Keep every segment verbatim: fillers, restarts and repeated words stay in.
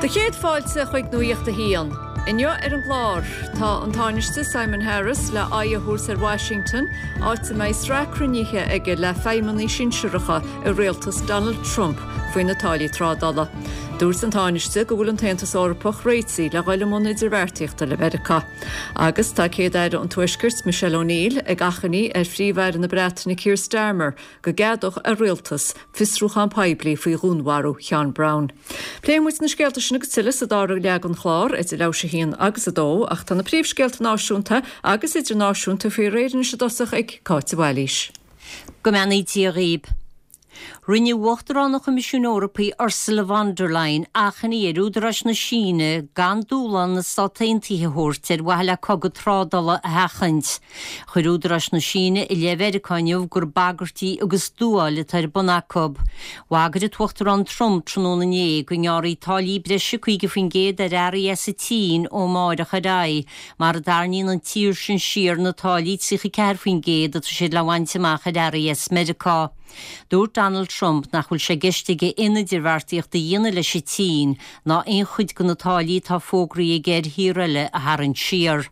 Do chéad fáilte chuig Nuacht a hAon. Inniu ar an gclár tá an Tánaiste Simon Harris le aghaidh a thabhairt ar Washington, áit a mbeidh sraith cruinnithe aige le feidhmeannaigh sinsearacha i rialtas Donald Trump faoi na táillí trádála. Dúirt an Tánaiste go bhfuil an tAontas Eorpach réitithe le dhul i mbun idirbheartaíochta le Meiriceá. Agus tá Céad-Aire an Tuaiscirt Michelle O'Neill ag achainí ar Phríomh-Aire na Breataine Keir Starmer go gceadódh a rialtas fiosrúchán poiblí faoi dhúnmharú Sheán Brown. Pléifidh muid na scéalta sin agus tuilleadh sa dara leath den chlár idir leathuair tar éis a haon agus a dó ach tá na príomhscéalta náisiúnta agus idirnáisiúnta faoi réir anois i dtosach ag Cáit Bhailís. Go mbeannaí Dia dhaoibh. Rinne Uachtarán an Choimisiúin Eorpaigh Ursula von der Leyen achainí ar údaráis na Síne gan dúshlán na Stát Aontaithe a thabhairt ar mhaithe le cogadh trádála a sheachaint. Chuir údaráis na Síne i leith Mheiriceá inniu gur bagairtí agus dúáil atá ar bun acu. Bhagair an tUachtarán Trump tráthnóna inné go ngearrfaí táillí breise caoga faoin gcéad ar earraí as an tSín ó amárach ar aghaidh, mura dtarraingíonn an tír sin siar na táillí tríocha ceathair faoin gcéad atá siad le bhaint amach ar earraí as Meiriceá. Dúirt Donald Trump nach bhfuil sé i gceist aige aon idirbheartaíocht a dhéanamh leis an tSín ná aon chuid de na táillí atá fógraithe aige ar thíortha eile a tharraingt siar.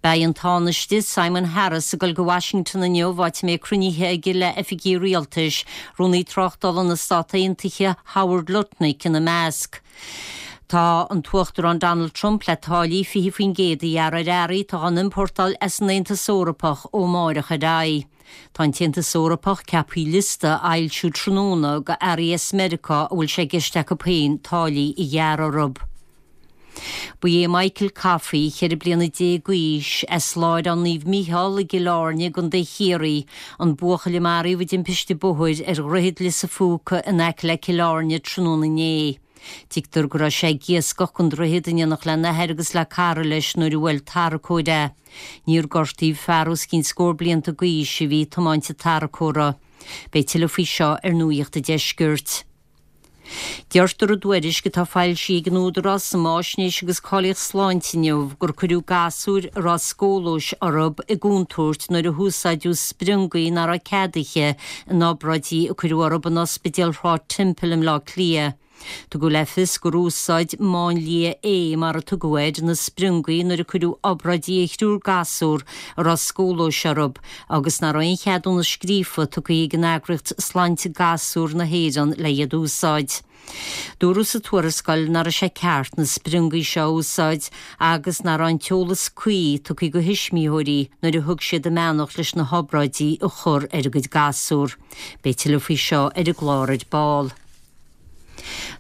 Beidh an Tánaiste Simon Harris ag dul go Washington inniu áit a mbeidh cruinnithe aige le oifigigh rialtais, rúnaí tráchtála na Stát Aontaithe Howard Lutnick ina measc. Tá an tUachtarán Donald Trump le táillí fiche faoin gcéad a ghearradh ar earraí atá á n-iompórtáil as an Aontas Eorpach ó amárach ar aghaidh. Tá an tAontas Eorpach ceaptha liosta a fhoilsiú tráthnóna de earraí as Meiriceá a bhfuil sé i gceist acu féin táillí a ghearradh orthu. Ba é Michael Coffey ceithre bliana déag d'aois as Láithreán Naomh Mícheál i gCill Airne i gContae Chiarraí, an buachaill a maraíodh i dtimpiste bóthair ar Dhroichead Lios an Phúca in aice le Cill Airne tráthnóna inné. Tuigtear go raibh sé ag iascach an droichead in éineacht lena athair agus le cara leis nuair a bhuail tarracóir é. Níor gortaíodh fear os cionn scór blianta d'aois a bhí ag tiomáint an tarracóra. Beidh tuilleadh faoi seo ar Nuacht an Deiscirt. Deirtear i dtuairisc atá foilsithe ag an Údarás um Fháisnéis agus Cáilíocht Sláinte inniu gur cuireadh gasúir a raibh scólóis orthu i gcontúirt nuair a húsáideadh spriongaí nach raibh ceadaithe in obráidí a cuireadh orthu in Ospidéal Shráid Temple i mBleá Cliath. Tugadh le fios gur úsáid máinlia A mar a tugadh air na spriongaí nuair a cuireadh obráidí ar thriúr gasúr a raibh scólóis orthu agus nach raibh aon cheadúnas scríofa tugtha ag an eagraíocht Sláinte Gasúr na hÉireann le iad úsáid. Dúradh sa tuarascáil nach raibh sé ceart na spriongaí seo a úsáid agus nach raibh an t-eolas cuí tugtha do thuismitheoirí nuair a thug siad a mbeannacht leis na hobráidí a chur ar a gcuid gasúr. Beidh tuilleadh faoi seo ar an gclár ar ball.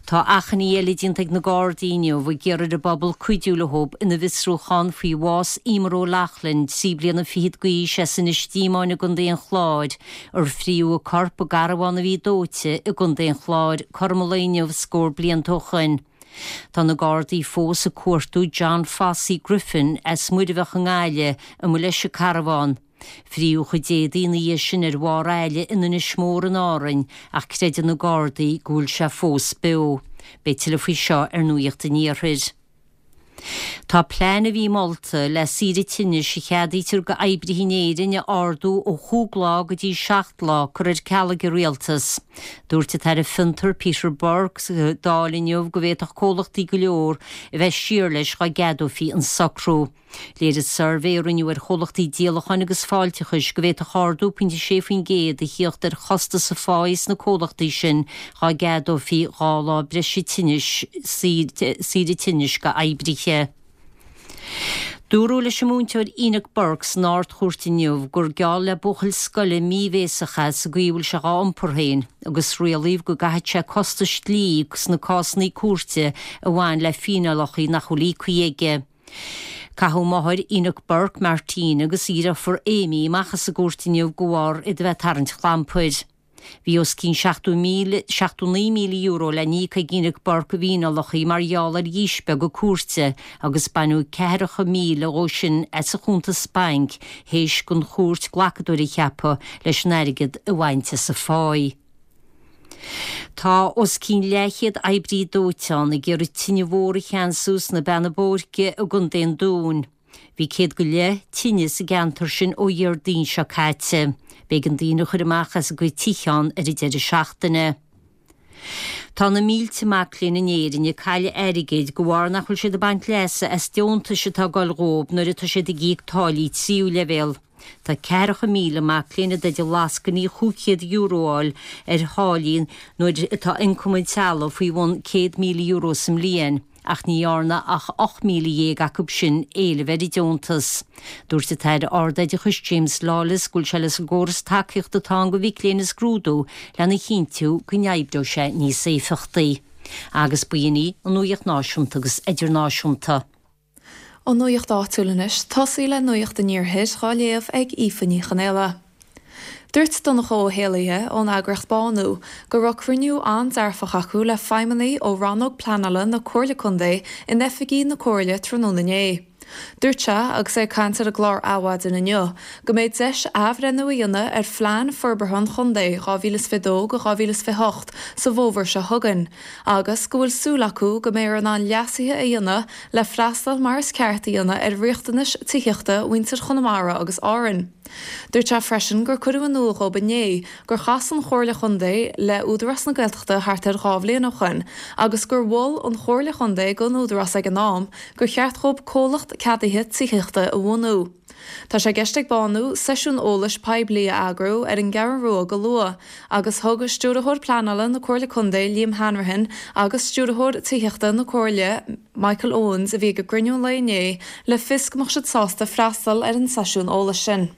Tá achainí eile déanta ag na Gardaí inniu ag iarraidh ar an bpobal cuidiú leo ina bhfiosrúchán faoi bhás Emer O'Loughlin, trí bliana fichead d'aois as Inis Díomáin i gContae an Chláir, ar fríodh a corp i gcarbhán a bhí dóite i gContae an Chláir cothrom an lae inniu scór blianta ó shin. Tá na Gardaí fós ag cuartú John Fossey Griffin as Muirbheach i nGaillimh a mba leis an carbhán. Fríodh a chuid éadaí ina dhiaidh sin ar bharr aille in Inis Mór in Árainn ach creideann na Gardaí go bhfuil sé fós beo. Beidh tuilleadh faoi seo ar Nuacht an Iarthair. Tá plean a bhí molta le saoire tinnis a cheadaítear d'oibrithe in Éirinn a ardú ó chúig lá go dtí seacht lá curtha ar ceal ag an rialtas. Dúirt an tAire Fiontar Peter Burke sa Dáil inniu go bhféadfadh comhlachtaí go leor a bheith siar leis dá gceadófaí an socrú. Léirigh suirbhé a rinneadh ar chomhlachtaí díolacháin agus fáilteachais go bhféadfadh ardú pointe sé faoin gcéad a thíocht ar chostas a pháí sna comhlachtaí sin dá gceadófaí dhá lá breise tinnis saoire tinnis d'oibrithe. Dúradh leis an múinteoir Enoch Burke san Ard-Chúirt inniu gur geall le buachaill scoile míbhéasach é sa gcaoi a bhfuil sé dhá iompar féin, agus rialaíodh go gcaithfidh sé costais dlí sna cásanna cúirte a bhain le fíneálacha nach bhfuil íoctha aige. Caitheadh máthair Enoch Burke, Martine, agus a dheirfiúr Amy amach as an gcúirt inniu de bharr iad a bheith ag tarraingt clampair. Bhí os cionn seachtó míle, seachtó naoi míle euro le n-íoc ag Enoch Burke i bhfíneálacha mar gheall ar dhíspeagadh cúirte agus baineadh ceathracha míle dhó sin as a chuntas bainc théis don chúirt glacadóir a cheapadh leis an airgead a bhaint as a pháí. Tá os cionn leathchéad oibrí dóiteáin ag iarraidh tine mhór a cheansú sna Beanna Boirche i gContae an Dúin. Bhí céad go leith tine sa gceantar sin ó Dhéardaoin seo caite. B'éigean daoine a chur amach as a gcuid tithe ann ar an deireadh seachtaine. Tá na mílte mac léinn in Éirinn ag cailleadh airgid de bharr nach bhfuil siad ag baint leasa as deontais atá ag dul dhóibh nuair atá siad ag íoc táillí tríú leibhéal. Tá ceathracha míle mac léinn i dteideal lascainí chúig chéad euro a fháil ar tháillí nuair atá ioncam an teaghlaigh faoi bhun céad míle euro sa mbliain, ach ní dhearna ach ocht míle dhéag acu sin éileamh ar an deontas. Dúirt an tAire Ardoideachais James Lawless go bhfuil sé leis an gcóras tacaíochta atá ann do mhic léinn a scrúdú lena chinntiú go n-oibreoidh sé níos éifeachtaí. Agus b'in í an nuacht náisiúnta agus idirnáisiúnta. An nuacht áitiúil anois, tosaí le nuacht an iarthair á léamh ag Aoife Ní Chonaola. Dúirt Donncha Ó hÉalaithe ón eagraíocht Bánú go raibh cruinniú an-dearfach acu le feidhmeannaigh ó rannóg pleanála na Comhairle Contae in oifigí na Comhairle tráthnóna inné. Dúirt sé, agus é ag caint ar an gclár Adhmhaidin inniu, go mbeidh deis athbhreithniú a dhéanamh ar phlean forbartha an chontae dhá mhíle is fiche dó go dhá mhíle is fiche hocht sa bhfómhar seo chugainn, agus go bhfuil súil acu go mbeifear in ann leasuithe a dhéanamh le freastal mar is ceart a dhéanamh ar riachtanais tithíochta mhuintir Chonamara agus Árann. Dúirt sé freisin gur cuireadh in iúl dhób inné gur chas an Chomhairle Chontae le Údarás na Gaeltachta thart ar dhá bhliain ó shoin agus gur mhol an Chomhairle Chontae don Údarás ag an am gur cheart dhób comhlacht ceadaithe tithíochta a bhunú. Tá sé i gceist ag Bánú seisiún eolais poiblí a eagrú ar an gCeathrú Rua go luath agus thug Stiúrthóir Pleanála na Comhairle Contae Liam Hanrahan agus Stiúrthóir Tithíochta na Comhairle Michael Owens a bhí ag an gcruinniú an lae inné le fios go mbeadh siad sásta freastal ar an seisiún eolais sin.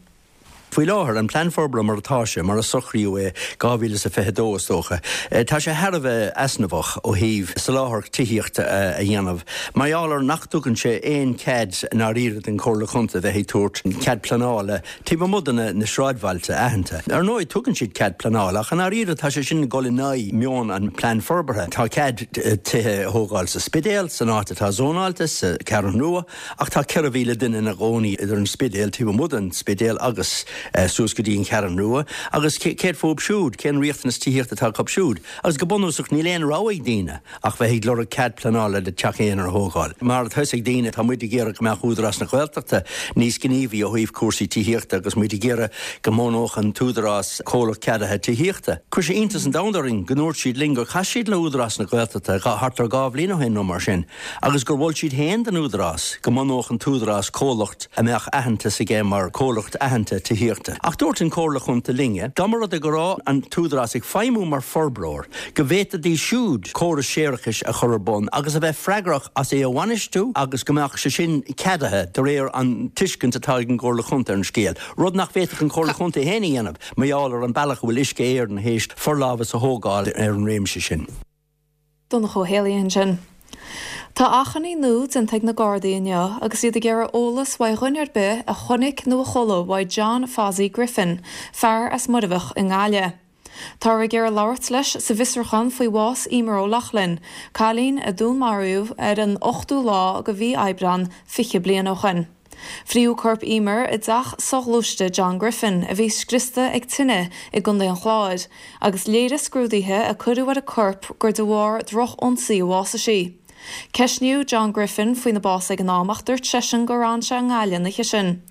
Faoi láthair, an plean forbartha mar atá sé, mar a socraíodh é dhá mhíle is a fiche dó is dócha, tá sé thar a bheith easnamhach ó thaobh soláthar tithíochta a dhéanamh mar gheall ar nach dtugann sé aon chead i ndáiríre don Chomhairle Chontae bheith ag tabhairt cead pleanála taobh amuigh de na sráidbhailte aitheanta. Ar ndóigh, tugann siad cead pleanála ach i ndáiríre tá sé sin ag dul in aghaidh meon an plean forbartha. Tá cead tithe a thógáil sa Spidéal, san áit atá zónáilte, sa Cheathrú Rua, ach tá ceithre mhíle duine ina gcónaí idir an Spidéal, taobh amuigh den Spidéal agus suas go dtí an Cheathrú Rua, agus céard fúthu siúd, cén riachtanas tithíochta atá acu siúd? Agus go bunúsach níl aon rogha ag daoine ach bheith ag lorg cead pleanála le teach aonair a thógáil. Mar atá fhios ag daoine, tá muid ag iarraidh go mbeadh Údarás na Gaeltachta níos gníomhaí ó thaobh cúrsaí tithíochta agus muid ag iarraidh go mbunódh an tÚdarás comhlacht ceadaithe tithíochta. Chuir sé iontas an domhain orainn go ndúirt siad linn gur chas siad le Údarás na Gaeltachta thart ar dhá bhliain ó shin nó mar sin agus gur mhol siad féin don Údarás go mbunódh an tÚdarás comhlacht a mbeadh aitheantas aige mar chomhlacht aitheanta tithíochta. Ach dúirt an Chomhairle Chontae linne, dá mba rud é go raibh an tÚdarás ag feidhmiú mar forbróir, go bhféadfaidís siúd córas séarachais a chur ar bun agus a bheith freagrach as é a bhainistiú agus go mbeadh sé sin ceadaithe de réir an tuiscint atá ag an gComhairle Chontae ar an scéal, rud nach bhféadfadh an Chomhairle Chontae féin a dhéanamh mar gheall ar an bealach a bhfuil Uisce Éireann théis forlámhas a thógáil ar an réimse sin. Donncha Ó hÉalaithe ansin. Tá achainí nua déanta ag na Gardaí inniu agus iad ag iarraidh eolas uaidh dhuine ar bith a chonaic nó a chuala uaidh John Fozzie Griffin, fear as Muirbheach i nGaillimh. Táthar ag iarraidh labhairt leis sa bhfiosrúchán faoi bhás Eimear O'Loughlin, cailín a dúnmaraíodh ar an ochtú lá de mhí Aibreán fiche bliain ó shoin. Fríodh corp Eimear i dteach soghluaiste John Griffin, a bhí scriosta ag tine i gContae an Chláir, agus léirigh scrúduithe a cuireadh ar a corp gur de bharr droch-ionsaí a bhásaigh sí. Ceistníodh John Griffin faoina bás ag an am ach dúirt seisean gur fhan sé i nGaillimh an oíche sin.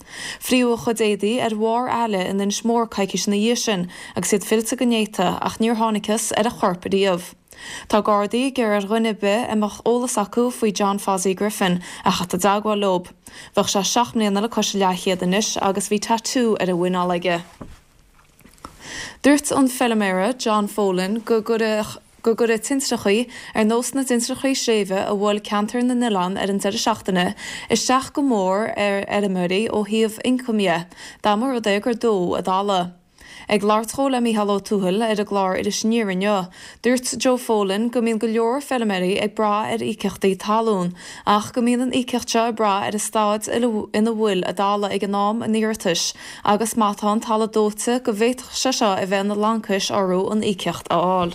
Fríodh a chuid éadaí ar bharr aille in Inis Mór coicís ina dhiaidh sin agus iad fillte go néata ach níor thángthas ar a chorp riamh. Tá Gardaí ag iarraidh ar dhuine ar bith a mbeadh eolas acu faoi John Fozzie Griffin a theacht i dteagmháil leo. Bheadh sé seacht mbliana le cois a leathchéad anois agus bhí tatú ar a mhuineál aige. Dúirt an feilméara John Folan go gcuirfeadh go gcuirfeadh tintreachaí, ar nós na dtintreachaí sléibhe a bhuail ceantar na nOileán ar an deireadh seachtaine, isteach go mór ar fheirmeoirí ó thaobh ioncaim dhe, dá mba rud é gur dódh a dtalamh. Ag labhairt dhó le Mícheál Ó Tuathail ar an gclár Iris Aniar inniu, dúirt Joe Folan go mbíonn go leor feilméaraí ag brath ar íocaíochtaí talún, ach go mbíonn an íocaíocht seo ag brath ar an staid ina bhfuil a dtalamh ag an am an iarratais agus má tá an talamh dóite go bhféadfadh sé seo a bheith ina laincis orthu an íocaíocht a fháil.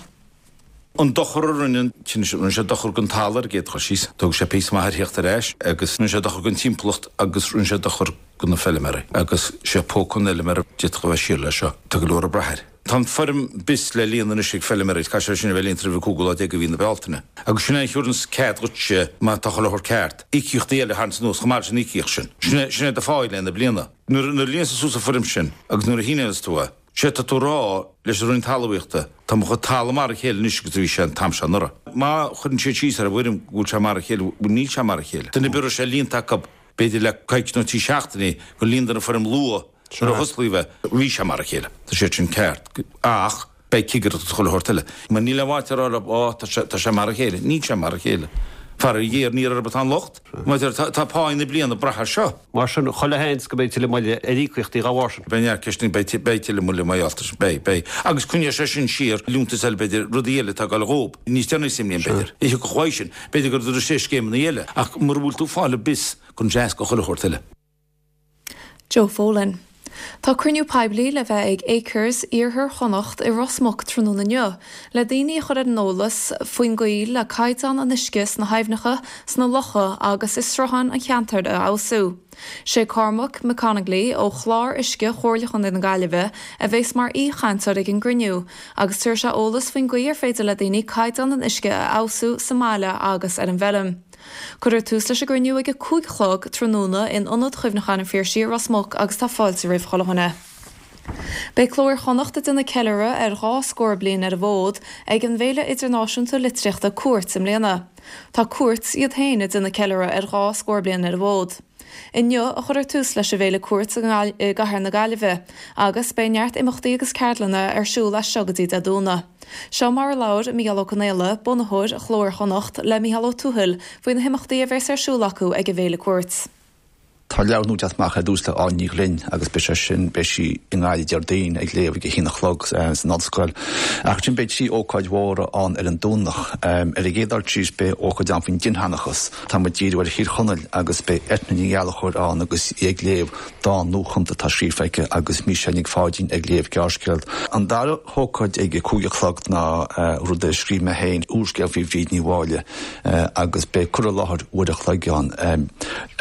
An dochar a rinne an tine sin, rinne sé dochar don talamh ar an gcéad chur síos, thóg sé píosa maith air theacht ar ais agus rinne sé dochar don timpeallacht agus rinne sé dochar do na feilméaraí agus sé póca an fheilméara d'fhéadfadh a bheith siar leis seo. Tá go leor ag brath air. Tá an foirm bis le líonadh anois ag feilméaraí, caithfidh sé sin a bheith líonta roimh an cúigiú lá déag de mhí na Bealtaine. Agus sin é a thabharanns cead dhuitse, má tá chuile shórt ceart, íocaíochtaí eile a tharraingt anuas chomh maith leis an íocaíocht sin. Sin é, sin é do phá i leith na bliana. Nuair, nuair a líonanns tú suas an foirm sin agus nuair a shíneoidheas tú é, Sé tá tú rá leis an Roinn Talmhaíochta, tá mo chuid talamh mar a chéile anois agus a bhí sé an t-am seo anuraidh. Má chuireann siad síos ar an bhfoirm go bhfuil sé mar a chéile, bhuel níl sé mar a chéile. Duine ar bith a raibh sé líonta acu b'fhéidir le coicís nó trí seachtainí gur líonadar an foirm luath nuair a hosclaíodh é, bhí sé mar a chéile. Tá sé sin ceart. Ach beidh cigireacht agus chuile shórt eile. Mar níl aon mhaith a rá leo, ó tá sé, tá sé mar a chéile. Níl sé mar a chéile. Faraor, ní orthu atá an locht. Mar tá, tá pá na bliana ag brath air seo. Mar sin, chuile sheans go mbeidh tuilleadh moille ar íocaíochtaí dá bharr sin. Beidh neart ceisteanna, beidh, beidh tuilleadh moille mar gheall air sin. Beidh, beidh. Agus coinneoidh sé sin siar liúntais eile b'fhéidir, rudaí eile atá ag dul dhób. Níos deireanaí sa mbliain b'fhéidir. Ní thiocfadh uaidh sin. B'fhéidir go dtabharfaidh sé scéimeanna eile. Ach mura bhfuil tú ag fáil an bis, cuireann sé as do chuile shórt eile. Joe Folan. Tá cruinniú poiblí le bheith ag Acres Iarthar Chonnacht i Ros Muc tráthnóna inniu, le daoine a chur ar an eolas faoin gcaoi le caighdeán an uisce sna haibhneacha, sna locha agus i srutháin an cheantair a fheabhsú. Sé Cormac McConigley ó Chlár Uisce Chomhairle Chontae na Gaillimhe a bheas mar aoichainteoir ag an gcruinniú agus tabharfaidh sé eolas faoin gcaoi ar féidir le daoine caighdeán an uisce a fheabhsú sa mbaile agus ar an bhfeirm. Cuirfear tús leis an gcruinniú ag a cúig a chlog tráthnóna in Ionad Chuimhneacháin an Phiarsaigh i Ros Muc agus tá fáilte roimh chuile dhuine. Beidh Cló Iar-Chonnacht ag déanamh ceiliúradh ar dhá scór bliain ar an bhfód ag an bhFéile Idirnáisiúnta Litríochta Cúirt i mbliana. Tá Cúirt iad féin ag déanamh ceiliúradh ar dhá scór bliain ar an bhfód. Inniu a chuirfear tús leis an bhFéile Cúirt i gcathair na Gaillimhe agus beidh neart imeachtaí agus ceardlanna ar siúl as seo go dtí Dé Domhnaigh. Seo mar a labhair Mícheál Ó Conaola, bunaitheoir Chló Iar-Chonnacht, le Mícheál Ó Tuathail faoi na himeachtaí a bheas ar siúl acu ag an bhFéile Cúirt. Tá leabhar nua ag teacht amach ar dtús le Áine Ní Ghlinn agus beidh sé sin, beidh sí i nGaillimh Déardaoin ag léamh ag a haon a chlog san ollscoil. Ach ansin beidh trí ócáid mhóra ann ar an Domhnach. Ar an gcéad dul síos beidh ócáid ann faoin dinnseanchas. Tá muid ag díriú ar Thír Chonaill agus beidh Eithne Ní Ghallchóir ann agus í ag léamh dán nuachumtha atá scríofa aici agus Mícheál Nic Pháidín ag léamh gearrscéal. An dara hócáid ag a cúig a chlog ná rud a scríobh mé féin, úrscéal faoi Bhríd Ní Mháille agus beidh cur i láthair uair a chloig ann.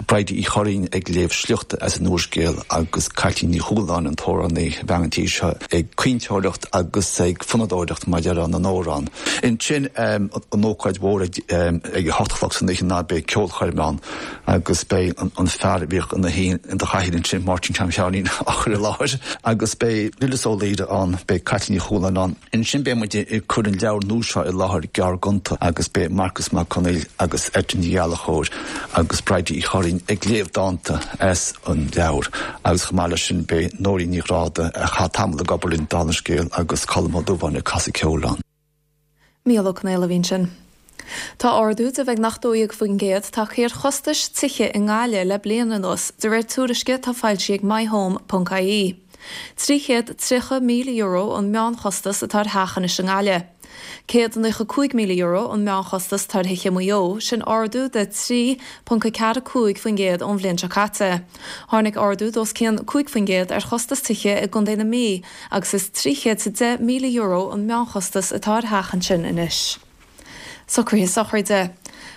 Bridie Uí Churraoin ag léamh sliochta as an úrscéal agus Caitlín Ní Chualáin, an t-amhránaí, bhean an tí seo, ag caointeoireacht agus ag fonnadóireacht mar a déarfá na n-amhrán. Ansin an ócáid mhór ag a hocht a chlog san oíche ná beidh ceolchoirm ann agus beidh an fear a bhíodh ina shuí in do chathaoir ansin, Máirtín Tom Sheáinín, á chur i láthair agus beidh Lillis Ó Laoire ann, beidh Caitlín Ní Chualáin ann. Ansin beidh muid ag cur an leabhar nua seo i láthair, Gearrghonta, agus beidh Marcus Mac Conghail agus Eithne Ní Ghallchóir agus Bridie Uí Churraoin ag léamh dánta as an leabhar agus chomh maith leis sin beidh Nóirín Ní Ghráda, a chaith tamall ag obair linn, dála an scéil, agus Colm Ó Dubháin ag casadh ceoil ann. Mícheál Ó Conaola a bhí ansin. Tá ardú de bheagnach dó dhéag faoin gcéad tagtha ar chostais tithe i nGaillimh le bliain anuas, de réir tuairisce atá foilsithe ag myhome ponc ie. Trí chéad tríocha míle euro an meánchostas atá ar theach anois i nGaillimh. Céad nócha cúig míle euro an meánchostas atá ar thithe i Maigh Eo, sin ardú de trí ponc a ceathair cúig faoin gcéad ón bhliain seo caite. Tháinig ardú d'os cionn cúig faoin gcéad ar chostas tithe i gContae na Mí agus is trí chéad is a deich míle euro an meánchostas atá ar theach ansin anois. Socruithe sochraide.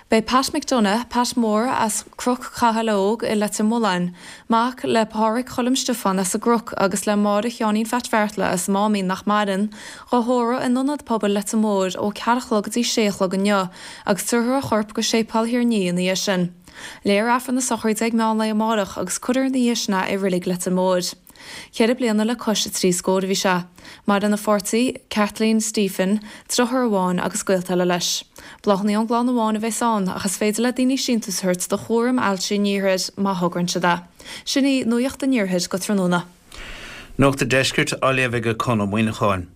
Beidh Pat McDonagh, Pat Mór as Cnoc Chathail Óg i Leitir Mealláin, mac le Pádhraic Choilm Stiofáin as an gCnoc agus le Máire Sheáinín Pheait Bheartla as Máimín nach maireann, dhá thórramh in Ionad Pobail Leitir Móir ó ceathair a chlog go dtí sé a chlog inniu agus tabharfar a chorp go Séipéal Thír an Fhia ina dhiaidh sin. Léifear Aifreann na sochraide ag meán lae amárach agus cuirfear ina dhiaidh sin é i Reilig Leitir Móir. Ceithre bliana le cois a trí scór a bhí sé. Maireann a pháirtí, Kathleen Stephen, deartháir amháin agus gaolta eile leis. Bláthanna ón gclann amháin a bheas ann ach is féidir le daoine síntiús a thabhairt do Chúram Ailse an Iarthair má thograíonn siad é. Sin í Nuacht an Iarthair go tráthnóna. Nuacht an Deiscirt á léamh ag Conn Ó Muíneacháin.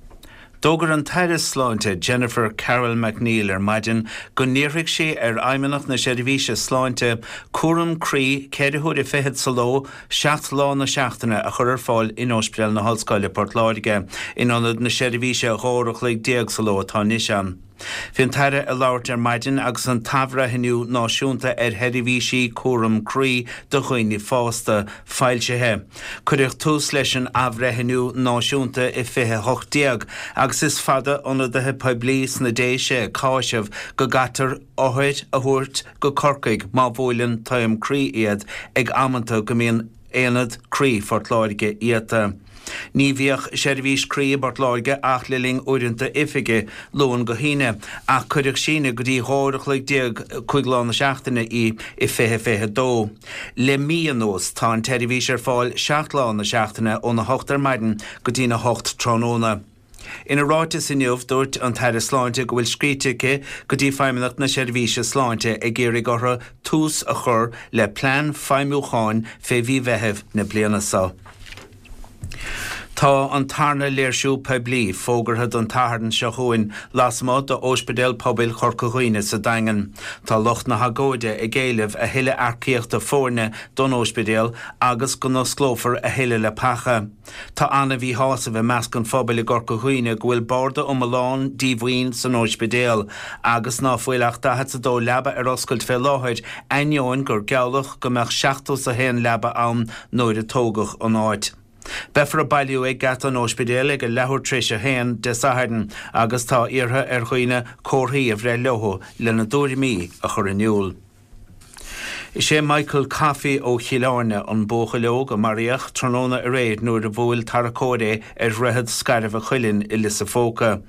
D'fhógair an tAire Sláinte Jennifer Carroll MacNeill ar maidin go n-iarrfaidh sí ar Fheidhmeannacht na Seirbhíse Sláinte cúram croí ceithre huaire fichead sa ló, seacht lá na seachtaine a chur ar fáil in Ospidéal na hOllscoile, Port Láirge, in ionad na seirbhíse dhá uair a chloig déag sa ló atá anois ann. Bhí an tAire ag labhairt ar maidin agus an tAthbhreithniú Náisiúnta ar Sheirbhísí Cúram Croí do Dhaoine Fásta foilsithe. Cuireadh tús leis an athbhreithniú náisiúnta i fiche hocht déag agus is fada ionadaithe poiblí sna Déise ag cáiseamh go gcaitear othair a thabhairt go Corcaigh má bhuaileann taom croí iad ag amanta go mbíonn Aonad Croí Phort Láirge iata. Ní bhíodh seirbhís croí i bPort Láirge ach le linn uaireanta oifige, Luan go hAoine, ach cuireadh síneadh go dtí dhá uair a chloig déag cúig lá na seachtaine í i fiche fiche dó. Le mí anuas tá an tseirbhís ar fáil seacht lá na seachtaine óna hocht ar maidin go dtína hocht tráthnóna. Ina ráiteas inniu dúirt an tAire Sláinte go bhfuil scríte aici go dtí Feidhmeannacht na Seirbhíse Sláinte ag iarraidh orthu tús a chur le plean feidhmiúcháin fé mhí Mheithimh na bliana seo. Tá an tarna léirsiú poiblí fógartha don tSatharn seo chugainn lasmuigh d'Ospidéal Pobail Chorca Dhuibhne sa Daingean. Tá lucht na hagóide ag éileamh a thuilleadh earcaíochta foirne don ospidéal agus go n-osclófar a thuilleadh leapacha. Tá an-mhíshásamh i measc an phobail i gCorca Dhuibhne go bhfuil barda iomlán díomhaoin san ospidéal agus ná fuil ach daichead 's a dó leaba ar oscailt fé láthair, ainneoin gur gealladh go mbeadh seachtó 's a haon leaba ann nuair a tógadh an áit. Beifear ag bailiú ag geata an ospidéil ag a leathuair tar éis a haon Dé Sathairn agus tá iarrtha ar dhaoine comharthaí a bhreith leo lena dtuairimí a chur in iúl. Is é Michael Coffey ó Chill Airne an buachaill óg a maraíodh tráthnóna aréir nuair a bhuail tarracóir é ar Dhroichead Scairbh a' Chuilinn i Lios a' Phóca.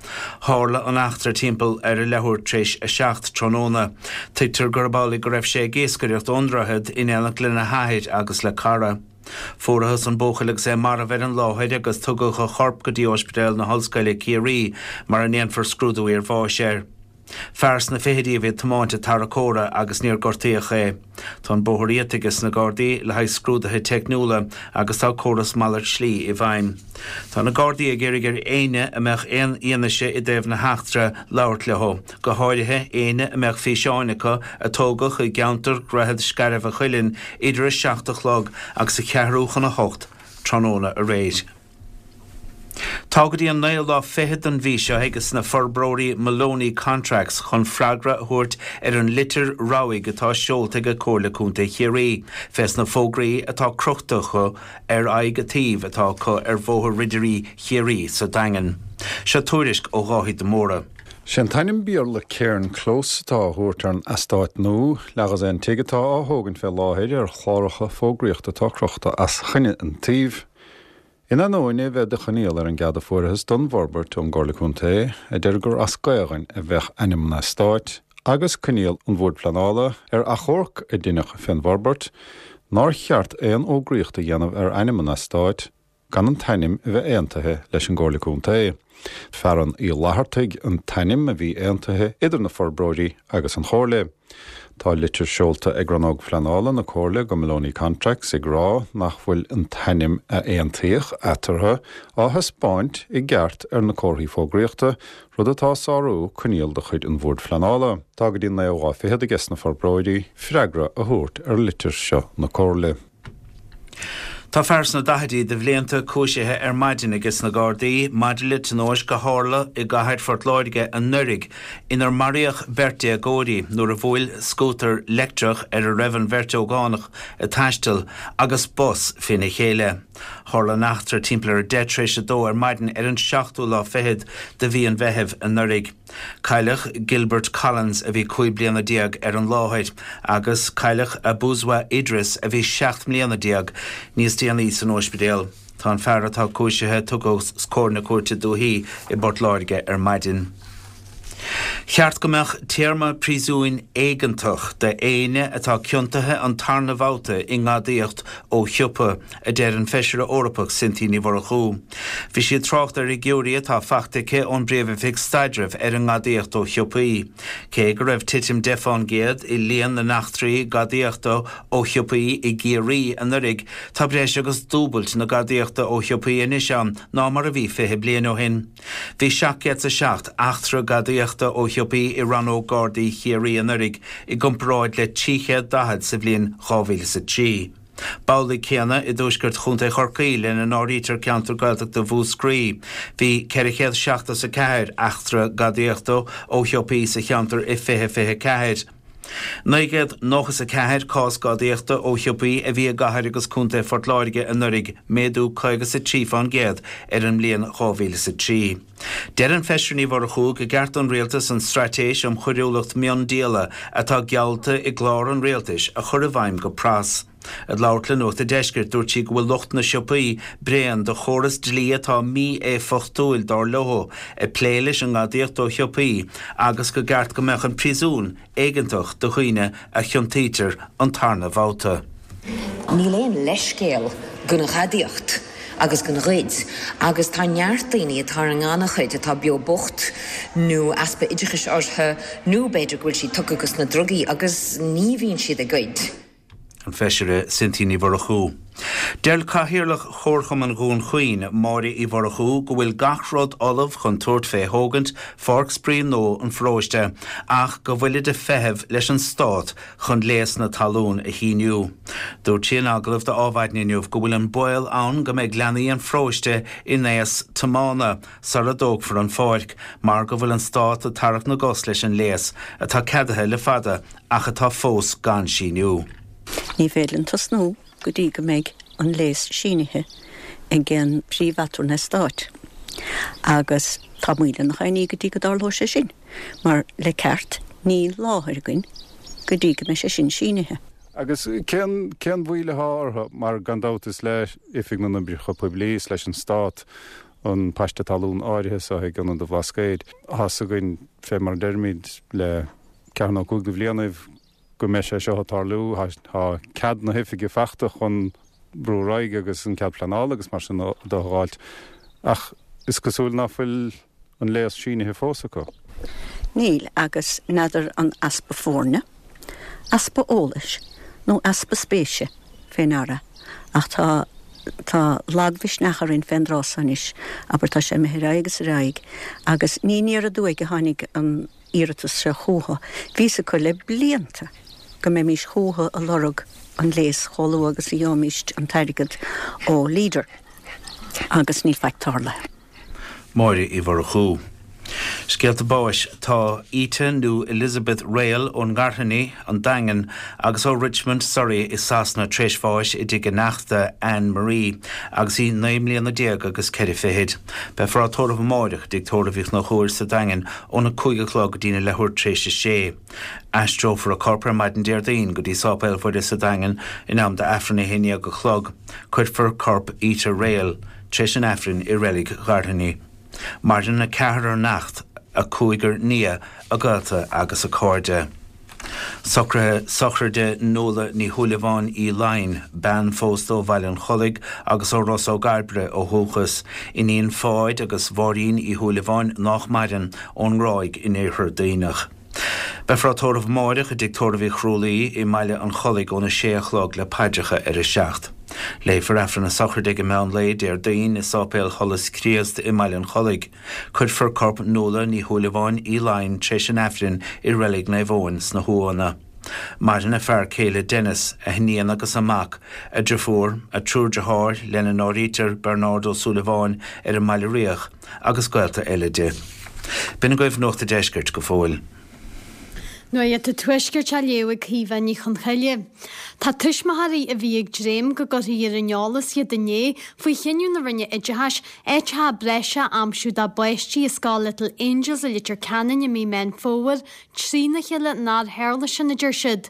Tharla an eachtra timpeall ar a leathuair tar éis a seacht tráthnóna. Tuigtear gurb amhlaidh go raibh sé ag iascaireacht ón droichead in éineacht lena hathair agus le cara. Fuarathas an buachaill agus é marbh ar an láthair agus tugadh a chorp go dtí Ospidéal na hOllscoile Ciarraí mar a ndéanfar scrúdú iarbháis air. Fear sna fichidí a bhí ag tiomáint an tarracóra agus níor gortaíodh é. Tá an bóthar iata aige sna Gardaí le haghaidh scrúduithe teicniúla agus tá córas malairt slí i bhfeidhm. Tá na Gardaí ag iarraidh ar éinne a mbeadh aon fhianaise i dtaobh na heachtra labhairt leo, go háirithe éinne a mbeadh físeáin acu a tógadh i gceantar Dhroichead Scairbh a' Chuilinn idir a seacht a chlog agus a ceathrú chun a hocht tráthnóna aréir. Tá go dtí an naoú lá fichead den mhí seo aige sna forbróirí Moloney Contracts chun freagra a thabhairt ar an litir rabhaidh atá seolta ag Comhairle Contae Chiarraí fés na fógraí atá crochta acu ar aghaidh an tsuímh atá acu ar Bhóthar Ridirí Chiarraí sa Daingean. Seo tuairisc ó Dháithí de Mórdha. Sé an t-ainm Béarla Cairn Close atá á thabhairt ar an eastát nua, leathdhosaen tigh atá á thógaint fé láthair ar chláracha fógraíochta atá crochta os coinne an tsuímh. In ainneoin é bheith de choinníoll ar an gcead a fuarthas don bhforbairt ón gComhairle Contae, a deir gur as Gaelainn a bheadh ainm an eastáit, agus coinníoll an Bhoird Phleanála ar achomharc a deineadh fén bhforbairt, nár cheart aon fhógraíocht a dhéanamh ar ainm an eastáit gan an t-ainm a bheith aontaithe leis an gComhairle Contae. Fearann Uí Fhlathartaigh an t-ainm a bhí aontaithe idir na forbróirí agus an Chomhairle. Tá litir seolta ag Rannóg Phleanála na Comhairle go Moloney Contracts ag rá nach bhfuil an t-ainm a aontaíodh eatarthu á thaispeáint i gceart ar na comharthaí fógraíochta, rud atá ag sárú coinníoll de chuid an Bhoird Phleanála. Tá go dtí an naoú lá fichead aige sna forbróirí freagra a thabhairt ar litir seo na Comhairle. Tá fear sna daichidí de bhlianta cúisithe ar maidin aige sna Gardaí maidir le tionóisc a tharla i gcathair Phort Láirge anuraidh inar maraíodh beirt déagóirí nuair a bhuail scútar leictreach ar a raibh an bheirt ógánach ag taisteal agus bus féna chéile. Tharla an eachtra timpeall ar a deich tar éis a dó ar maidin ar an seachtú lá fichead de mhí an Mheithimh anuraidh. Cailleadh Gilbert Collins a bhí cúig bliana déag ar an láthair agus cailleadh Abuzwa Idris a bhí seacht mbliana déag níos déanaí san ospidéal. Tá an fear atá cúisithe tugtha os comhair na Cúirte Dúichí i bPort Láirge ar maidin. Cheart go mbeadh téarma príosúin éigeantach d'éinne atá ciontaithe an tarna bhabhta i ngadaíocht ó shiopa, a deir an Feisire Eorpach Cynthia Ní Mhurchú. Bhí sí ag trácht ar fhigiúirí atá faighte aici ón bPríomh-Oifig Staidrimh ar an ngadaíocht ó shiopaí. Cé go raibh titim deich fán gcéad i líon na n-eachtraí gadaíochta ó shiopaí i gCiarraí anuraidh, tá breis agus dúbailt na gadaíochta ó shiopaí anois ann ná mar a bhí fiche bliain ó shin. Bhí seacht gcéad 's a seacht eachtra gadaíochta ó shiopaí i Rannóg Gardaí Chiarraí anuraidh i gcomparáid le trí chéad daichead sa bhliain dhá mhíle is a trí. B'amhlaidh céanna i dtuaisceart Chontae Chorcaí, lena n-áirítear ceantar Gaeltachta Mhúscraí. Bhí ceithre chéad seachtó 's a ceathair eachtra gadaíochta ó shiopaí sa cheantar i fiche fiche ceathair. Naoi gcéad nócha 's a ceathair cás gadaíochta ó shiopaí a bhí i gcathair agus contae Phort Láirge anuraidh, méadú caoga 's a trí fán gcéad ar an mbliain dhá mhíle 's a trí. Deir an Feisire Ní Mhurchú go gceart don Rialtas an straitéis um choiriúlacht miondíola atá geallta i gclár an Rialtais a chur i bhfeidhm go pras. Ag labhairt le Nuacht an Deiscirt, dúirt sí go bhfuil lucht na siopaí bréan de chóras dlí atá mí-éifeachtúil dar leo ag plé leis an ngadaíocht ó shiopaí agus go gceart go mbeadh an príosún éigeantach do dhaoine a chiontaítear an tarna bhabhta. Níl aon leithscéal don ghadaíocht agus don ghoid agus tá neart daoine atá ar an ngannchuid atá beo bocht nó easpa oideachais orthu nó b'fhéidir go bhfuil siad tugtha dos na drugaí agus ní bhíonn siad ag goid. An Feisire Cynthia Ní Mhurchú. Deir Cathaoirleach Chomharchumann Dhún Chaoin, Máire Uí Mhurchú, go bhfuil gach rud ullamh chun tabhairt fé thógaint Pháirc Spraoi nua an pharóiste ach go bhfuilid ag feitheamh leis an Stát chun léas na talún a shíniú. Dúirt sí in agallamh do Adhmhaidin inniu go bhfuil an baol ann go mbeidh leanaí an pharóiste in aos tiomána sara dtógfar an pháirc mar go bhfuil an Stát ag tarrac na gcos leis an léas atá ceadaithe le fada ach atá fós gan síniú. Ní féidir linn tosnú go dtí go mbeidh an léas sínithe ag an Príomh-Aturnae Stáit. Agus tá moill ina choinní go dtí go dtarlóidh sé sin, mar le ceart níl láthair againn go dtí go mbeidh sé sin sínithe. Agus cén cén mhoill atá orthu, mar gan dabht is le Oifig na nOibreacha Poiblí is leis an Stát an paiste talún áirithe seo ag Ionad an Bhlascaoid. Tá's againn fé mar a deirimid le ceathair nó cúig de bhlianaibh go mbeidh sé seo ag tarlú. Tá cead na hoifige fachta chun brú ar aghaidh agus an cead pleanála agus mar sin de a dh'fháilt ach is cosúil ná fuil an léas sínithe fós acu. Níl, agus n'fheadar an easpa foirne, easpa eolais nó easpa spéise fé ndeara ach tá tá lagmhisneach orainn fén dtráth so anois, abair tá sé imithe ar aghaidh agus ar aghaidh agus ní aniar aduaidh a tháinig an iarratas seo chucu. Bhí fhios acu le blianta go mbeimís chucu a lorg an léas chomh luath agus a gheobhaimíst an t-airgead ó Leader agus níl faic tarlaithe. Máire Uí Mhurchú. Scéalta báis, Tá Ita nó Elizabeth Rayl ón nGairfeanaigh, An Daingean, agus ó Richmond, Surrey i Sasana tar éis bháis i dtigh a neachta Anne Marie agus í naoi mbliana déag agus ceithre fichid. Beifear á tórramh amáireach i dTigh Tórraimh Uí Chonchúir sa Daingean óna cúig a chlog go dtína leathuair tar éis a sé. Aistreofar a corp ar maidin Déardaoin go dtí Sáipéal Mhuire sa Daingean in am d'Aifreann a haon déag a chlog. Cuirfear corp Ita Rayl tar éis an Aifrinn i Reilig Ghairfeanaigh. Maireann a ceathrar neacht, a cúigear nia, a gaolta agus a cairde. Socruithe sochraide Nuala Ní Shúilleabháin Uí Laighin, bean phósta ó Bhaile an Chollaigh agus ó Ros Ó gCairbre ó dhúchas, iníon Pháid agus Mháirín Uí Shúilleabháin nách maireann, ón nGráig in Iarthar Duibhneach. Beifear á tórramh amáireach i dTigh Tórraimh Uí Chrualaoi i mBaile an Chollaigh óna sé a chlog le paidreacha ar a seacht. Léifear Aifreann na sochraide ag an meán lae Déardaoin i Sáipéal Sholas Chríost i mBaile an Chollaigh. Cuirfear corp Nuala Ní Shúilleabháin Uí Laighin tréis an Aifrinn i Reilig Naomh Eoin sna hUamhanna. Maireann a fear céile Denis, a hiníon agus a mac, a driofúr, a triúr deartháir, lena n-áirítear Bernard Ó Súilleabháin ar an mBaile Riach, agus gaolta eile di. B'in agaibh Nuacht a' Deiscirt go fóill. Nuacht an Tuaiscirt á léamh ag Caoimhe Ní Chonchoille. Tá tuismitheoirí a bhí ag dréim go gcuirfí ar an eolas iad inné faoi chinneadh na Roinne Oideachais áiteacha breise a aimsiú dá bpáistí i scoil Little Angels i Leitir Ceanainn i mí Meán Fómhair trína chéile nár tharla sin, a deir siad.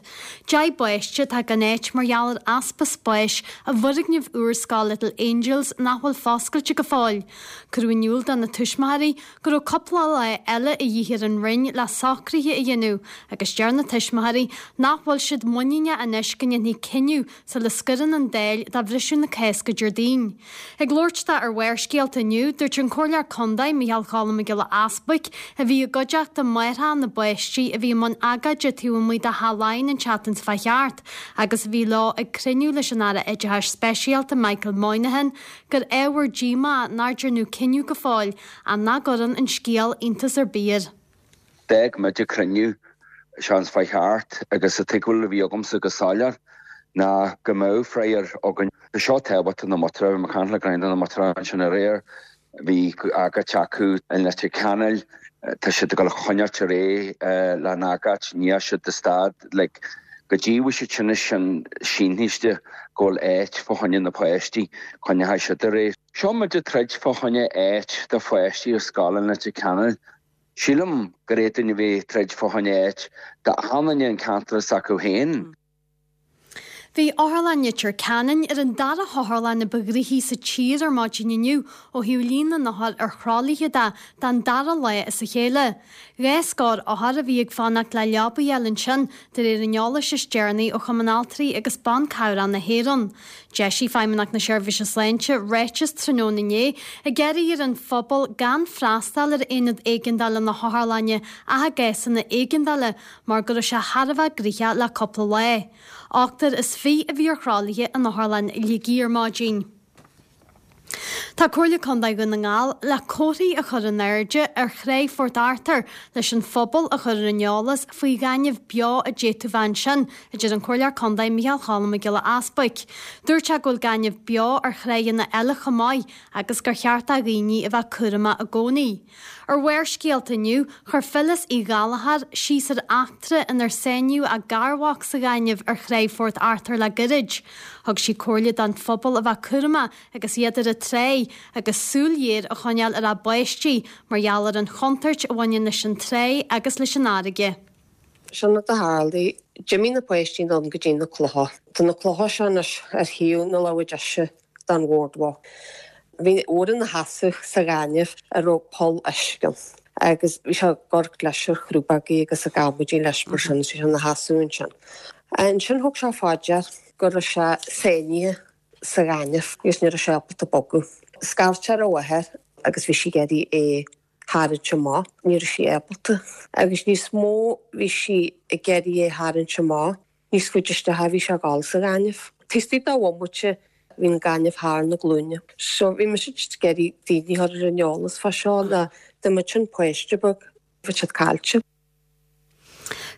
Deich bpáiste atá gan áit mar gheall ar easpa spáis i bhfoirgneamh úr Scoil Little Angels nach bhfuil foscailte go fóill. Cuireadh in iúl do na tuismitheoirí go raibh cúpla lá eile a dhíth ar an Roinn le socruithe a dhéanamh agus deir na tuismitheoirí nach bhfuil siad muiníneach anois go ndéanfaí cinneadh sula scoireann an Dáil do bhriseadh na Cásca Déardaoin. Ag labhairt dó ar Bharrscéalta inniu, dúirt an Comhairleoir Contae, Micheál Cholm Mac Giolla Easbuic, a bhí i gcuideachta máithreacha na bpáistí a bhí i mbun agóide taobh amuigh de Theach Laighean an tseachtain seo chuaigh thart agus a bhí leo ag cruinniú leis an Aire Oideachais Speisialta Michael Moynihan, gur ábhar díomá nár deineadh cinneadh go fóill ach nach gcuireann an scéal iontas ar bith air. D'fhág muid an cruinniú seans fá cheart agus an tuigbheáil a bhí agamsa go soiléir ná go mbeadh freagra againn. Tá seo tábhachtach do na muintire, bhí mé ag caint le roinnt de na muintire ansin aréir, bhí agóid acu i Leitir Ceanainn, tá siad ag dul a choinneáilt ar aghaidh lena n-agóid, ní dheachaigh siad de stad, like, go dtí go bhfuil siad sin sin sínthiste go bhfuil áit fá choinne na páistí, coinneoidh siad ar aghaidh. Seo muid ag troid fá choinne áit do pháistí ar scoil in Leitir Ceanainn. Sílim gur fhéadfainn a bheith ag troid fá choinne áit d'achan duine an ceantar s'acu féin. Bhí Otharlann Leitir Ceanainn ar an dara hotharlann a ba ghnoithí sa tír ar maidin inniu ó thaobh líon na n-othar ar thralaithe de, don dara lá as a chéile. Dhá scór othar a bhí ag fanacht le leaba a fháil ansin, de réir an eolais is deireanaí ó Chumann Altraí agus Ban Cabhrach na hÉireann. D'eisigh Feidhmeannacht na Seirbhíse Sláinte ráiteas tráthnóna inné ag iarraidh ar an phobal gan freastal ar aonad éigeandála na hotharlainne ach i gcásanna éigeandála mar go raibh sé thar a bheith gnoitheach le cúpla lá. Ochtar is fiche a bhí ar thralaithe in Otharlann Shligigh ar maidin. Tá Comhairle Contae Dhún na nGall le comharthaí a chur in airde ar Thráigh Phort Arthur leis an phobal a chur ar an eolas faoi ghaineamh beo a d'fhéadfadh bheith ansin, a deir an Comhairleoir Contae Micheál Cholm Mac Giolla Easbuic. Dúirt sé go bhfuil gaineamh beo ar thráigheanna eile chomh maith agus gur cheart do dhaoine a bheith cúramach i gcónaí. Ar Bharrscéalta inniu, chuir Phyllis Uí Ghallchóir síos ar eachtra inar sáinníodh a garmhac sa ghaineamh ar Thráigh Phort Arthur le gairid. Thug sí comhairle don phobal a bheith cúramach agus iad ar an tráigh agus súil ghéar a choinneáil ar a bpáistí mar gheall ar an chontúirt a bhaineann leis an tráigh agus leis an fharraige. Sin rud a tharlaigh. D'imigh na páistí anonn go dtí na clocha. Tá na clocha seo anois ar thaobh na láimhe deise den bhoardwalk. Bhí ór ina sheasamh sa ghaineamh a raibh poll uisce ann agus bhí sé ag amharc leis ar chrúbógaí agus ag amaidí leis mar sin is bhí sé ina sheasamh ansin. Ansin thug sé fá dear go raibh sé sáinnithe sa ghaineamh agus ní raibh sé ábalta bogadh. Scairt sé ar a mháthair agus bhí sí ag iarraidh é tharraingt amach. Ní raibh sí ábalta. Agus níos mó bhí sí ag iarraidh é tharraingt amach, níos faide isteach a bhí sé ag dul sa ghaineamh. Taobh istigh de bhomaite bhí an gaineamh thar na glúine. So bhí mise just ag iarraidh daoine a chur ar an eolas fá seo ná dá mbeadh an páiste beag, bheadh siad caillte.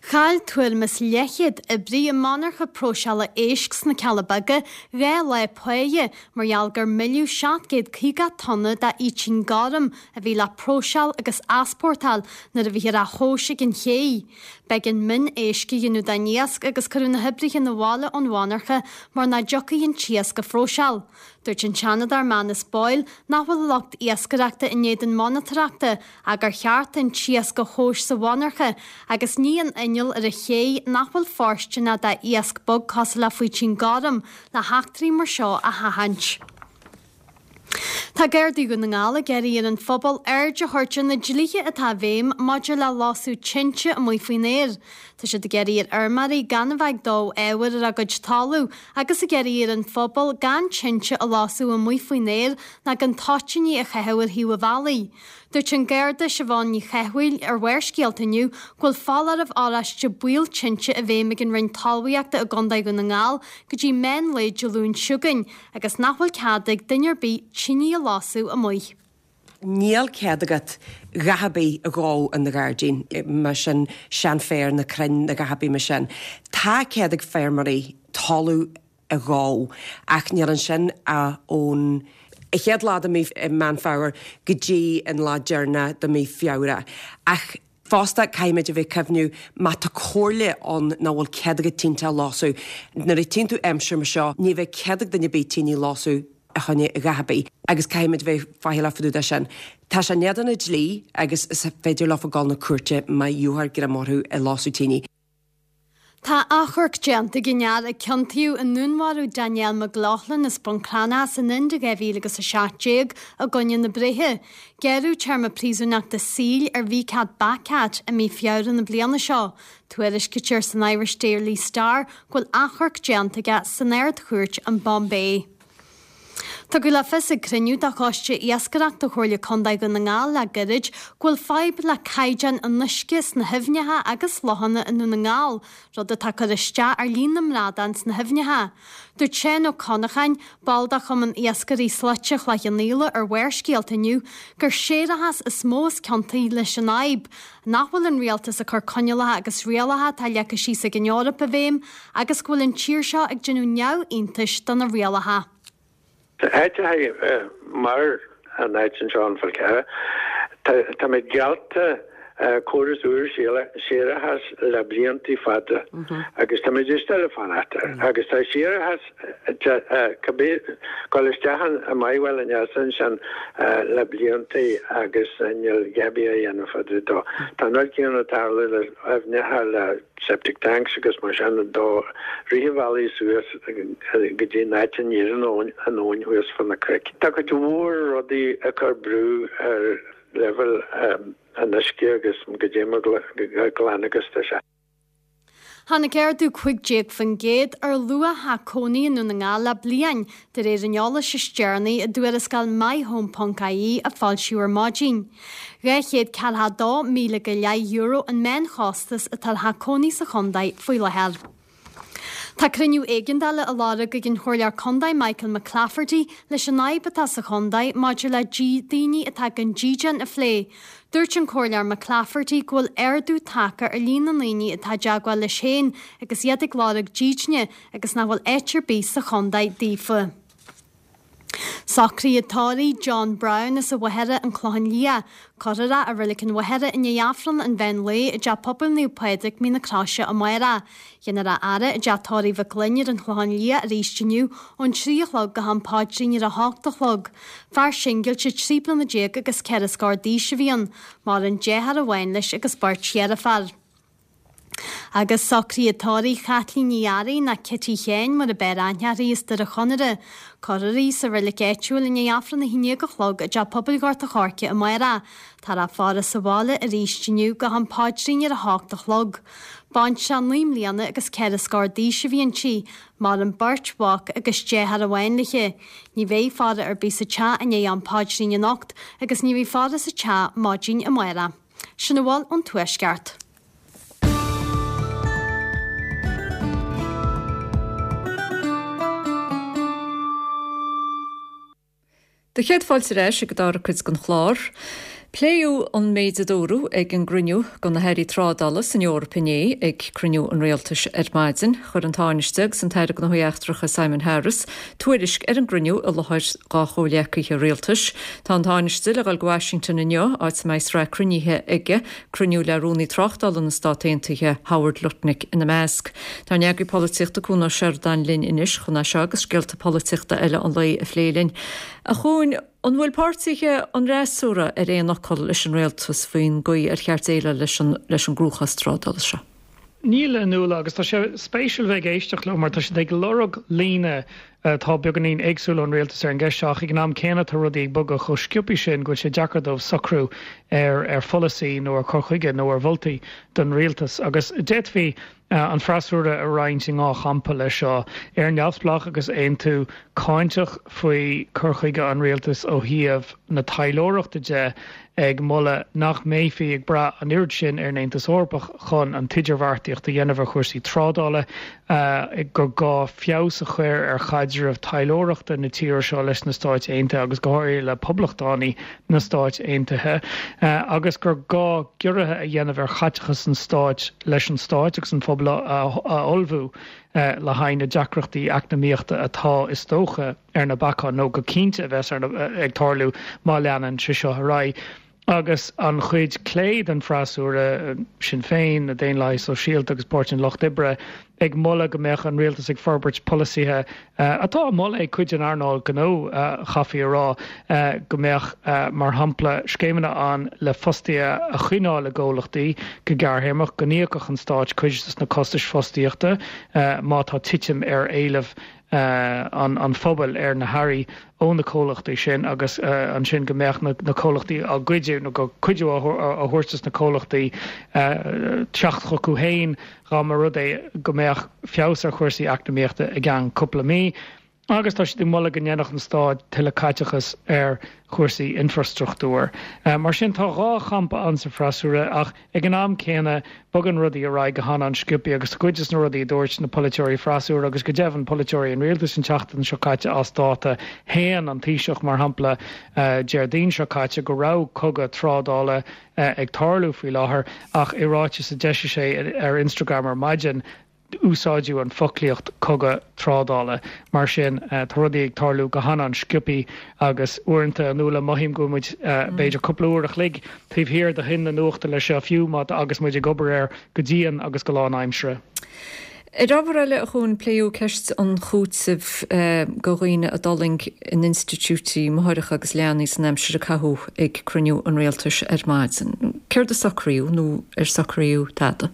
Chaill tuairim is leathchéad oibrí i monarcha próiseála éisc sna Cealla Beaga dhá lá páighe mar gheall gur milleadh seacht gcéad caoga tonna d'fhaoitín gorm a bhí le próiseáil agus easpórtáil nuair a bhíthear á thomhas ag an ché. B'éigean min éisc a dhéanamh den iasc agus cuireadh na hoibrithe 'na bhaile ón mhonarcha mar nach dtiocfaí an t-iasc a phróiseáil. Dúirt an Seanadóir Manus Boyle nach bhfuil lucht iascaireachta in éadan monatóireachta ach gur cheart an t-iasc a thomhas sa mhonarcha agus ní in inneall ar an ché nach bhfuil fóirsteanach d'iasc beag cosúil le faoitín gorm le heachtraí mar seo a sheachaint. Tá Gardaí Dhún na nGall ag iarraidh ar an phobal aird a thabhairt ar na dlíthe atá i bhfeidhm maidir le lasadh tinte amuigh faoin aer. Tá siad ag iarraidh ar fheirmeoirí gan a bheith ag dó ábhair ar a gcuid talaimh agus ag iarraidh ar an phobal gan tinte a lasadh amuigh faoin aer ná gan toitíní a chaitheamh ar thaobh an bhealaigh. Dúirt an Garda Siobhán Ní Chathmhaoil ar Bharrscéalta inniu go bhfuil foláireamh oráiste baol tinte i bhfeidhm ag an Roinn Talmhaíochta i gContae Dhún na nGall go dtí meán lae Dé Luain seo chugainn agus nach bhfuil cead ag duine ar bith tine a lasadh amuigh. Níl cead agat a dhath ar bith a dhó in do ghairdín, mar sin seanfhéar nó crainn nó a dhath ar bith mar sin. Tá cead ag feirmeoirí talamh a dhó ach níl ansin ach ón chéad lá de mí Meán Fómhair go dtí an lá deireanach de mí Feabhra. Ach fosta caithfimid a bheith cuimhniú má tá comhairle ann nach bhfuil cead agat tinte a lasadh. Nuair a tchíonn tú aimsir mar seo ní bheidh cead ag duine ar bith tine a lasadh a choinne a dhath ar bith agus caithfimid bheith faichilleach fá dtaobh de sin. Tá sé in éadan an dlí agus is féidir leofa dul na cúirte má gheofar greim orthu ag lasadh tine. Tá achomharc déanta ag an fhear a ciontaíodh i ndúnmharú Danielle McLaughlin as Bun Cranncha san Ind i dhá mhíle agus a seacht déag i gcoinne na breithe. Gearradh téarma príosúnachta saoil ar Vicat Bacat i mí Feabhra na bliana seo. Tuairiscítear san Irish Daily Star go bhfuil achomharc déanta aige san Ard-Chúirt in Bombay. Tugadh le fios ag cruinniú de Choiste Iascaireachta Chomhairle Contae Dhún na nGall le gairid go bhfuil fadhb le caighdeán an uisce sna haibhneacha agus lochanna i nDún na nGall, rud atá ag cur isteach ar líon na mbradán sna haibhneacha. Dúirt Seán Ó Connacháin, ball de Chumann Iascairí Slaite Chloich Cheann Fhaola ar Bharrscéalta inniu, gur séarachas is mó is ciontaí leis an fhadhb, nach bhfuil an rialtas ag cur coinníollacha agus rialacha atá leagtha síos ag an Eoraip i bhfeidhm agus go bhfuil an tír seo ag déanamh neamhiontais do na rialacha. Áiteacha mar an áit anseo an Fál Carrach, tá mé geallta córas úr séarachais le blianta fada agus tá muid still ag fanacht air. Agus tá séarachas dul isteach i Maigh ansin le blianta agus níl a dhath ar bith á dhéanamh fá dtaobh dó. Tá an rud céanna ag tarlú le aibhneacha le septic tanks agus mar sin do rith an bhealaigh suas go dtí an áit a n-éiríonn an abhainn thuas fá na cnoic. Tá cuid mhór rudaí ag cur brú ar leibhéal an uisce agus goidé mar glan agus tá sé. Tháinig ardú cúig déag faoin gcéad ar luach theach cónaí i nDún na nGall le bliain, de réir an eolais is deireanaí i dtuarascáil MyHome ponc ie a foilsíodh ar maidin. Dhá chéad ceathracha dó míle go leith euro an meánchostas atá ar theach cónaí sa chontae faoi láthair. Tá cruinniú éigeandála á lorg ag an Chomhairleoir Contae Michael McClafferty leis an fhadhb atá sa chontae maidir le daoine atá gan dídean a phlé. Dúirt an Comhairleoir McClafferty go bhfuil ardú tagtha ar líon na ndaoine atá i dteagmháil leis féin agus iad ag lorg dídine agus nach bhfuil áit ar bith sa chontae daofa. Socruithe tórraimh John Brown as an Mhachaire, An Clochán Liath. Cuirfear é i Reilig an Mhachaire i ndiaidh Aifreann an mheán lae i dTeach Pobail Naomh Pádraig, Mín na Croise amárach. Déanfar a fhaire i dTeach Tórraimh Mhic Fhloinn ar an Chlochán Liath arís inniu ón trí a chlog go ham paidrín ar a hocht a chlog. Fear singilte trí bliana déag agus ceithre scór d'aois a bhí ann. Maireann deartháir amháin leis agus beirt dheirféar. Agus socruithe tórraimh Chaitlín Ní Fhearraigh nó Cití Sheáin mar ab fhearr aithne uirthi as Doire Chonaire. Cuirfear í sa reilig áitiúil i ndiaidh Aifreann a haon déag a chlog i dTeach Pobail Ghort a' Choirce amárach. Táthar á faire sa bhaile arís inniu go ham paidrín ar a hocht a chlog. Baintreach naoi mbliana agus ceithre scór d'aois a bhí inti. Maireann beirt mhac agus deartháir amháin léi. Ní bheidh faire ar bith sa teach i ndiaidh am paidrín anocht agus ní bheidh faire sa teach maidin amárach. Sin a bhfuil ón Tuaisceart. Do chéad fáilte ar ais ag an dara cuid den chlár. Pléadh an méid a dúradh ag an gcruinniú de na hairí trádála san Eoraip inné ag cruinniú an rialtais ar maidin. Chuir an Tánaiste agus an tAire Gnóthaí Eachtracha Simon Harris tuairisc ar an gcruinniú i láthair dá chomhghleacaithe rialtais. Tá an Tánaiste le dhul go Washington inniu, áit a mbeidh sraith cruinnithe aige, cruinniú le Rúnaí Tráchtála na Stát Aontaithe Howard Lutnick ina measc. Tá an eagraí polaitíochta Cuan Ó Seireadáin linn anois chun é seo agus scéalta polaitíochta eile an lae a phlé linn. A Chuain, an bhfuil páirtithe an fhreasúra ar aon fhocal leis an rialtas faoin gcaoi ar cheart déileáil leis an leis an gcruachás trádála seo? Níl a Nuala agus tá sé spéisiúil bheith ag éisteacht leo mar tá siad ag lorg líne atá beagáinín éagsúil ón rialtas ar an gceist seo ach ag an am céanna tá rudaí ag bogadh chomh sciobtha sin go bhfuil sé deacair dóibh socrú ar ar pholasaí nó ar chur chuige nó ar mholtaí don rialtas agus d'fhéadfaí an freasúra a roinnt i dhá champa leis seo, Éire Neamhspleách agus Aontú cáinteach faoi chur chuige an rialtais ó thaobh na taidhleoireachta de, ag moladh nach mbeifí ag brath an oiread sin ar an Aontas Eorpach chun an t-idirbheartaíocht a dhéanamh ar chúrsaí trádála, gur gá feabhas a chur ar chaidreamh taidhleoireachta na tíre seo leis na Stáit Aontaithe agus go háirithe le poblachtánaigh na Stáit Aontaithe, agus gur gá giorruithe a dhéanamh ar chaiteachas an stáit leis an stáit agus an phobal a ullmhú le haghaidh na deacrachtaí eacnamaíochta atá, is dócha, ar na bacáin, nó go cinnte a bheas ag tarlú má leanann sé seo ar aghaidh. Agus an chuid clé den freasúra, Sinn Féin, na Daonlathaigh Sóisialta agus Páirtí an Lucht Oibre, ag moladh go mbeadh an rialtas ag forbairt polasaithe atá á moladh ag cuid den earnáil gnó, chaithfí a rá, go mbeadh, mar shampla, scéimeanna ann le fostaithe a choinneáil i gcomhlachtaí go gearrthéarmach, go n-íocfadh an stát cuid de na costais fostaíochta má tá titim ar éileamh an phobail ar na hearraí ó na comhlachtaí sin agus ansin go mbeadh na comhlachtaí á gcuidiú nó go cuidiú á thabhairt dos na comhlachtaí teacht chucu féin dá mba rud é go mbeadh feabhas ar chúrsaí eacnamaíochta i gceann cúpla mí. Agus tá siad ag moladh go ndéanfadh an stát tuilleadh caiteachas ar chúrsaí infrastruchtúir. Mar sin tá dhá champa ann sa freasúra ach ag an am céanna bogann rudaí ar aghaidh go han-an-sciobtha agus cuid de na rudaí a dúirt na polaiteoirí freasúra agus go deimhin polaiteoirí an rialtais an tseachtain seo caite as dáta. Shéan an Taoiseach mar shampla Déardaoin seo caite go raibh cogadh trádála ag tarlú faoi láthair ach i ráiteas a d'eisigh sé ar Instagram ar maidin, úsáideadh an foclaíocht cogadh trádála. Mar sin, tá rudaí ag tarlú go han-an-sciobthaí agus uaireanta, a Nuala, mothaím go bhfuil muid b'fhéidir cúpla uair a chloig taobh thiar de thoinn na nuachta leis seo fiú má agus muid ag obair air go dian agus go lánaimseartha. Ar ábhar eile, a Chuain, pléadh ceist an chúitimh do dhaoine a d'fhulaing in institiúidí máithreacha agus leanaí san aimsir a caitheadh ag cruinniú an Rialtais ar maidin. Céard a socraíodh nó ar socraíodh tada?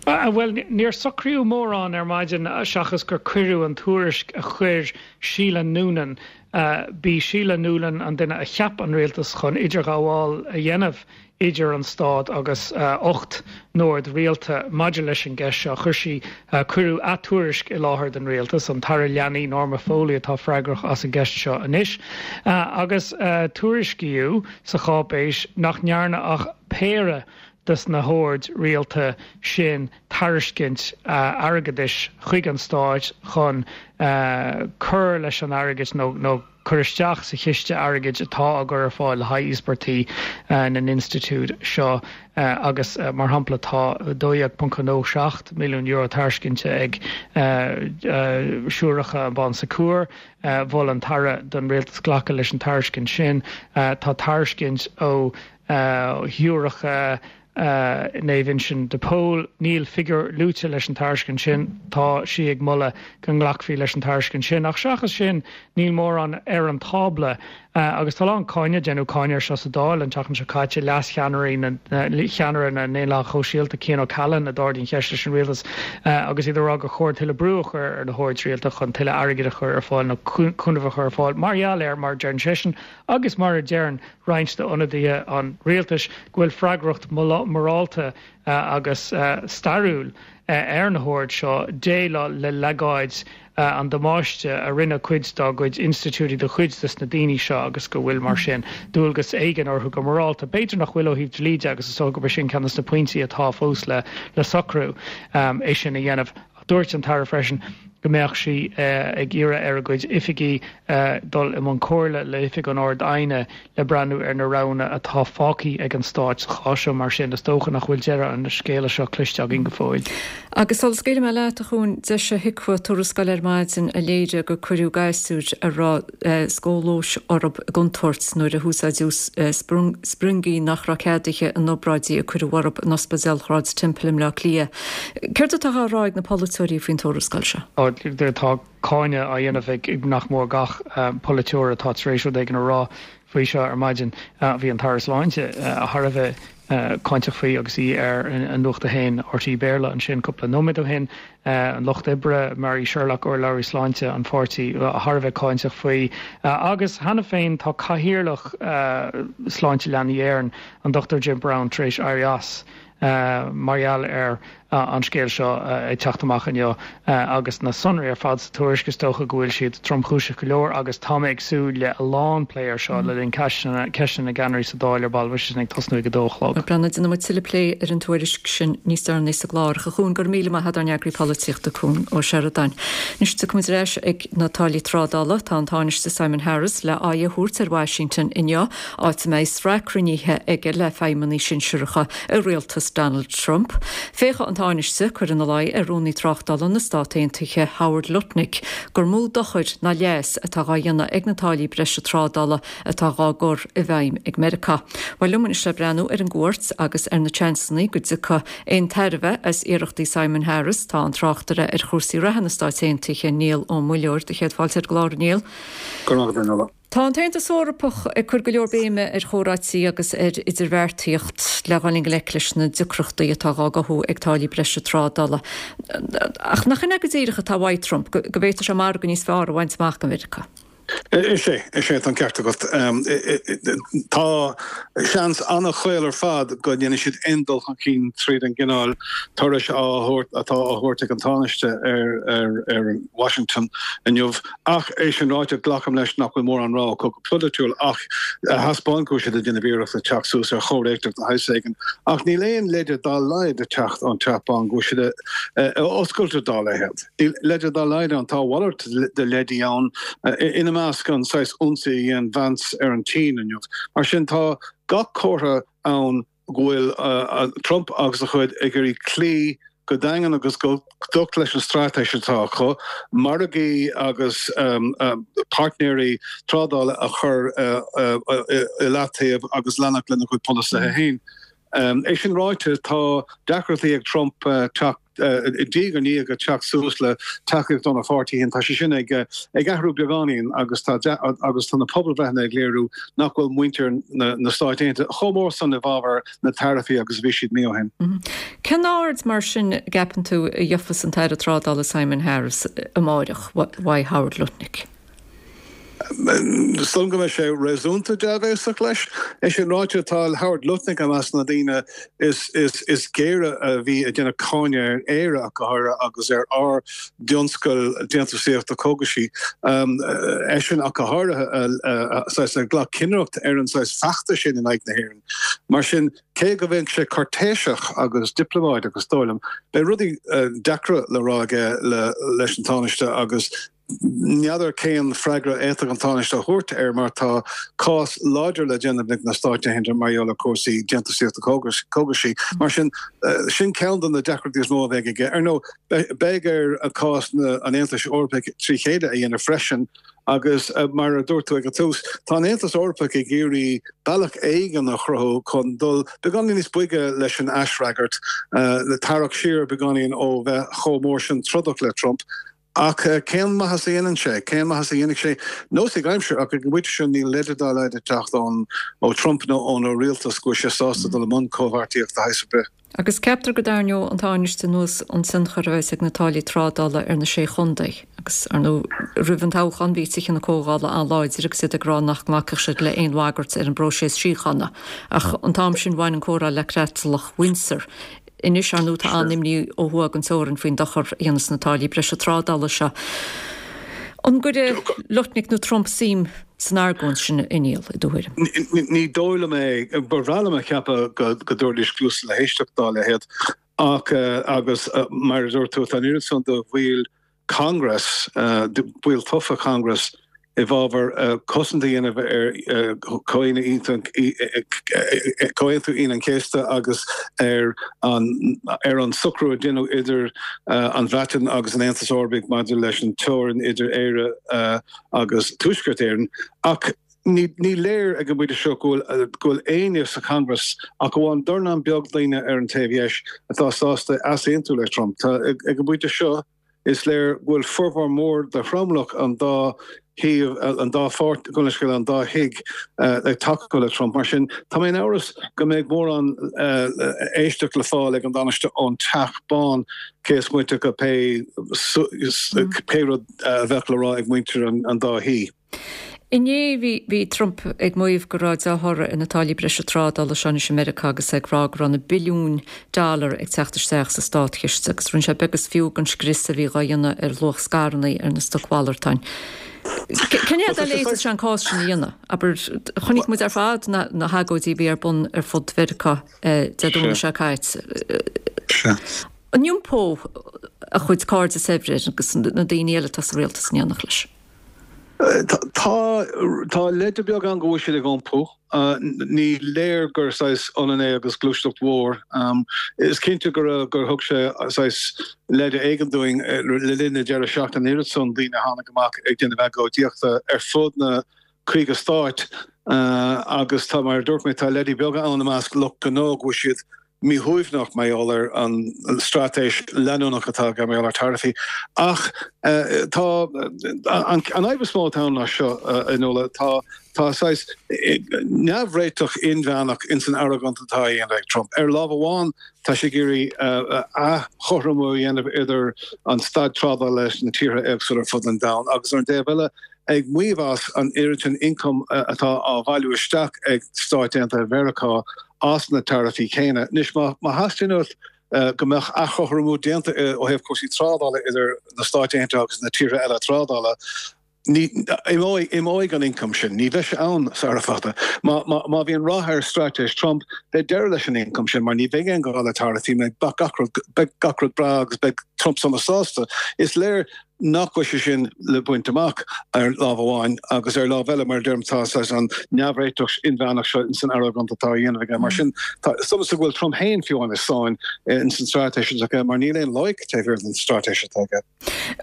Bhuel, níor socraíodh mórán ar maidin seachas gur cuireadh an tuairisc a chuir Sheila Noonan, b'í Sheila Noonan an duine a cheap an rialtas chun idirghabháil a dhéanamh idir an Stát agus ocht n-ord rialta maidir leis an gceist seo. Chuir sí, cuireadh a tuairisc i láthair don rialtas, an tAire Leanaí Norma Foley atá freagrach as an gceist seo anois, agus tuairiscíodh sa cháipéis nach ndearna ach péire des na hoird rialta sin tairiscint airgeadais chuig an Stát chun cur leis an airgead nó cur isteach sa chiste airgid atá á gcur ar fáil le haghaidh íospartaigh na n-institiúid seo agus mar shampla tá dó dhéag ponc a dó seacht milliún euro tairiscinte ag Siúracha an Bon Secours. Mhol an tAire don rialtas glacadh leis an tairiscint sin. Tá tairiscint ó Shiúracha Naomh Uinseann de Pól. Níl figiúr luaite leis an tairiscint sin. Tá sí ag moladh go nglacfaí leis an tairiscint sin. Ach seachas sin, níl mórán ar an tábla. Agus tá a lán cáineadh, déanadh cáineadh air seo sa Dáil an tseachtain seo caite, leas-cheannairí na, cheannaire na nDaonlathach Shóisialta, Cian O'Callaghan, a d'ardaigh an cheist leis an rialtas agus iad ag rá gur chóir tuilleadh brú a chur ar na hoird rialta chun tuilleadh airgid a chur ar fáil nó cúnamh a chur ar fáil mar gheall ar, mar a deireann seisean agus mar a deireann roinnt d'ionadaithe an rialtais, go bhfuil freagracht mhorálta agus stairiúil ar na hoird seo déileáil le leagáid an damáiste a rinne cuid dá gcuid institiúidí do chuid de na daoine seo agus go bhfuil, mar sin, dualgas éigin orthu go morálta. B'fhéidir nach bhfuil ó thaobh dlí de agus is dócha gurb é sin ceann de na pointí atá fós le socrú, é sin a dhéanamh. Dúirt an tAire freisin go mbeadh sí ag iarraidh ar a cuid oifigí dul i mbun comhairle le hOifig an Ard-Aighne le breathnú ar na roghanna atá fágtha ag an Stát sa chás seo. Mar sin, is dócha nach bhfuil deireadh an scéala seo cloiste againn go fóill. Agus sula scaoilfidh mé leat, a Chuain, d'eisigh HIQA tuarascáil ar maidin a léirigh gur cuireadh gasúir a raibh scóilióis orthu i gcontúirt nuair a húsáideadh spriongaí nach raibh ceadaithe in obráidí a cuireadh orthu in Ospidéal Shráid Temple i mBleá Cliath. Céard atá á rá ag na polaiteoirí faoin tuarascáil seo? Tá cáineadh á dhéanamh ag nach mór gach polaiteoir atá tar éis rud éigin a rá faoi seo ar maidin. Bhí an tAire Sláinte thar a bheith cáinteach faoi agus í ar an Nuacht a hAon RTÉ Béarla ansin cúpla nóiméad ó shin. An Lucht Oibre, Mary Sherlock, urlabhraí sláinte an pháirtí, thar a bheith cáinteach faoi. Agus cheana féin tá Cathaoirleach Sláinte Leanaí Éireann, an Dochtúir Jim Browne, tar éis éirí as. mar gheall ar an scéal seo ag teacht amach inniu agus na sonraí ar fad sa tuairisc, is dócha go bhfuil siad tromchúiseach go leor agus tá mé ag súil le a lán plé air seo le linn ceisteanna na gceannairí sa Dáil ar ball, beidh sé sin ag tosnú ag a dó a chlog. Breathnaigh, déanfaidh muid tuilleadh plé ar an tuairisc sin níos deireanaí sa gclár. A Chuain, go raibh míle maith agat, ár n-eagraí polaitíochta, Cuan Ó Seireadáin. Anois tiocfaidh muid ar ais ag na táillí trádála. Tá an Tánaiste Simon Harris le aghaidh a thabhairt ar Washington inniu, áit a mbeidh sraith cruinnithe aige le feidhmeannaigh sinsearacha i rialtas Donald Trump. Féachfaidh an Tánaiste cur ina luí ar Rúnaí Tráchtála na Stát Aontaithe Howard Lutnick gur mó dochar ná leas atá dhá dhéanamh ag na táillí breise trádála atá dhá gcur i bhfeidhm ag Meiriceá. Bhuel liom anois le breathnú ar an gcuairt agus ar na seansanna go dtiocfaidh aon tairbhe as iarrachtaí Simon Harris tá an tráchtaire ar chúrsaí reatha na Stáit Aontaithe Niall Ó Muilleoir. Do chéad fáilte ar an gclár, a Niall. Go raibh maith agat, a Nuala. Tá an tAontas Eorpach ag cur go leor béime ar chomhráití agus ar idirbheartaíocht le dhul i ngleic leis na deacrachtaí atá dhá gcothú ag táillí breise trádála. Ach nach in é go díreach atá uaidh Trump, go bhféadfadh sé margadh níos fearr a bhaint amach do Mheiriceá? Is ea, is ea, tá an ceart agat. Tá seans an-chaol ar fad go ndéanfaidh siad aon dul chun cinn tríd an gcineál turais á thabhairt atá á thabhairt ag an Tánaiste ar Washington inniu. Ach é sin ráite, glacaim leis nach bhfuil mórán rogha acu go polaitiúil ach a thaispeáint go bhfuil siad ag déanamh iarracht le teacht suas ar chomhréiteach de shaghas éigin. Ach níl aon leide dá laghad ag teacht ón Teach Bán go bhfuil siad oscailte dá leithéid. Níl leide dá laghad ann. Tá a mhalairt de leidí ann, ina measc an saghas ionsaí a dhein Vance ar an tSín inniu. Mar sin tá gach comhartha ann go bhfuil Trump agus a chuid ag iarraidh cloí go daingean agus go docht leis an straitéis atá acu, margaí agus páirtnéirí trádála a chur i leataobh agus leanacht lena chuid polasaithe féin. É sin ráite, tá deacrachtaí ag Trump teacht diaidh ar ndiaidh ag teacht suas le tacaíocht óna pháirtí féin. Tá sé sin ag athrú beagáinín agus tá agus tá na pobalbhreitheanna ag léiriú nach bhfuil muintir na Stáit Aontaithe chomh mór san i bhfabhar na taraifí agus a bhí siad mí ó shin. Cén aird mar sin a gceapann tú a gheofas an tAire Trádála Simon Harris amáireach uaidh Howard Lutnick? Is dóigh liom go mbeidh sé réasúnta dea-bhéasach leis. É sin ráite, tá Howard Lutnick i measc na ndaoine is géire a bhí ag déanamh cáineadh ar Éire ach go háirithe agus ar ár dtionscal déantúsaíochta cógaisí. Eisean ach go háirithe a ghlac cinnireacht ar an saghas feachtas sin in aghaidh na hÉireann. Mar sin, cé go mbeidh sé cúirtéiseach agus dioplómaideach is dóigh liom, beidh rudaí deacra le rá aige leis an Tánaiste agus N'fheadar cén freagra a fhéadfadh an Tánaiste a thabhairt air mar tá cás láidir le déanamh ag na Stáit Aontaithe mar gheall ar chúrsaí déantúsaíochta cógaisí. Mar sin, sin ceann de na deacrachtaí is mó a bheidh aige. Ar ndóigh, beidh air cás an Aontais Eorpaigh trí chéile a dhéanamh freisin agus mar a dúirt tú ag an tús, tá an Aontas Eorpach ag iarraidh bealach éigin a chruthú chun dul beagáinín níos boige leis an aisfhreagairt, le tarrac siar beagáinín ó bheith chomh mór sin trodach le Trump. Ach cén maitheas a dhéanann sé? Cén maitheas a dhéanfaidh sé? Nós ag aimsir, ach ag an bpointe seo níl leide dá laghad ag teacht ó Trump nó óna rialtas go bhfuil sé sásta dul i mbun comhbheartaíocht de shaghas ar bith. Agus ceaptar go dtarraingeoidh an Tánaiste anuas an tionchar a bheas ag na táillí trádála ar na Sé Chontae. Agus, ar ndóigh, roimh an toghchán bhí Tithe na Comhdhála an-láidir agus iad ag rá nach nglacfadh siad le haon bhagairt ar an bpróiseas síochána. Ach an t-am sin bhain an comhrá le Creatlach Windsor. Anois, ar ndóigh, tá an-imní ó thuaidh den teorainn faoin dochar a dhéanfas na táillí breise trádála seo. An gcuirfidh Lutnick nó Trump suim san argóint sin, a Niall, i do thuairim? Ní dóigh liom é. Ba bhreá liom a cheapadh go dtabharfaidís cluas le héisteacht dá leithéid ach, agus mar a dúirt tú, tá an oiread san de bhaill Congress, baill tofa Congress, i bhfabhar cosaint a dhéanamh ar Chomhaontú Aoine an Chéasta agus ar an ar an socrú a deineadh idir an Bhreatain agus an Aontas Eorpaigh maidir leis an teorainn idir Éire agus Tuaisceart Éireann. Ach ní léir ag an bpointe seo go bhfuil éinne sa Congress ach amháin dornán beag daoine ar an taobh dheis atá sásta easaontú le Trump. Tá ag an bpointe seo. Is léir go bhfuil formhór mór de thromlach an dá thaobh, an dá pháirt, gabh mo leithscéal, an dá thigh ag tacú le Trump. Mar sin, tá mé in amhras go mbeidh mórán éisteacht le fáil ag an dTánaiste ón Teach Bán, cé is moite de pé pé rud a bheadh le rá ag muintir an dá thí. Inné bhí bhí Trump ag maíomh go raibh dea-thoradh ar na táillí breise trádála seo anois i Meiriceá agus é ag rá go raibh na billiúin dollar ag teacht isteach sa státchiste agus rinne sé beag is fiú den scrios a bhí dhá dhéanamh ar luach scaireanna ar na stocmhalartáin. Cén fhad eile a fhéadfadh sé an cás sin a dhéanamh? Abair, chonaic muid ar fad na na hagóidí a bhí ar bun ar fud Mheiriceá Dé Domhnaigh seo caite. An iompódh a chuid cairde saibhre agus na daoine eile atá sa rialtas in éineacht leis? Tá tá leide beag ann go bhfuil siad ag iompú. Ní léir gur saghas ionann é agus gluaiseacht mhór. Is cinnte gur gur thug sé saghas leide éigin dúinn le linn na deireadh seachtaine an oiread san daoine a tháinig amach ag déanamh agóidíochta ar fud na caoga stáit agus tá, mar a dúirt mé, tá leidí beaga ann i measc lucht gnó go bhfuil siad míshuaimhneach mar gheall ar an straitéis leanúnach atá aige mar gheall ar taraifí. Ach tá an fhadhb is mó atá ann ná seo, a Nuala, tá tá saghas neamhréiteach inmheánach ins an argóint atá á dhéanamh ag Trump. Ar lámh amháin, tá sé ag iarraidh athchothromú a dhéanamh idir an staid trádála leis na tíortha éagsúla ar fud an domhain agus ar an dtaobh eile, ag maíomh as an oiread sin ioncaim atá á bhailiú isteach ag Stáit Aontaithe Mheiriceá as na taraifí céanna. Anois, má theastaíonn uait go mbeadh athchothromú déanta ó thaobh cúrsaí trádála idir na Stáit Aontaithe agus na tíortha eile trádála, ní, imeoidh, imeoidh an ioncam sin. Ní bheidh sé ann sara fada. Má, má bhíonn rath ar straitéis Trump, beidh deireadh leis an ioncam sin mar ní bheidh aon ghá le taraifí, beidh gach rud, beidh gach rud breá agus beidh Trump sona sásta. Is léir nach bhfuil sé sin le baint amach ar lámh amháin agus ar lámh eile mar a deirim tá saghas an neamhréiteach inmheánach seo ins an argóint atá á dhéanamh aige. Mar sin tá is dócha go bhfuil Trump féin fiú amháin i sáinn ins an straitéis atá aige mar níl aon loighic taobh thiar den straitéis atá aige.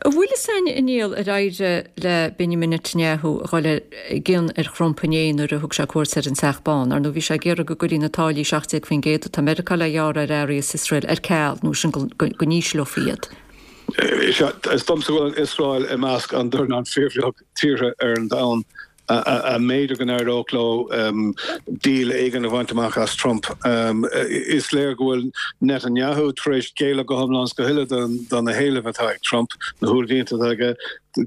An bhfuil fhios againn a Niall ar éirigh le Benjamin Netanyahu a dhul i gcion ar Thrump inné nuair a thug sé cuairt ar an Teach Bán. Ar ndóigh bhí sé ag iarraidh go gcuirfí na táillí seacht déag faoin gcéad atá Meiriceá le gearradh ar earraí as Iosrael ar ceal nó sin go n-ísleofaí iad. Is domsa go bhfuil an Iosrael i measc an dornán fíorbheag tíortha ar an domhan a mb'fhéidir go n-éireodh leo deal éigin a bhaint amach as Trump. Is léir go bhfuil Netanyahu tar éis géilleadh go hiomlán is go huile do na héilimh atá ag Trump, na huaillmhianta atá aige.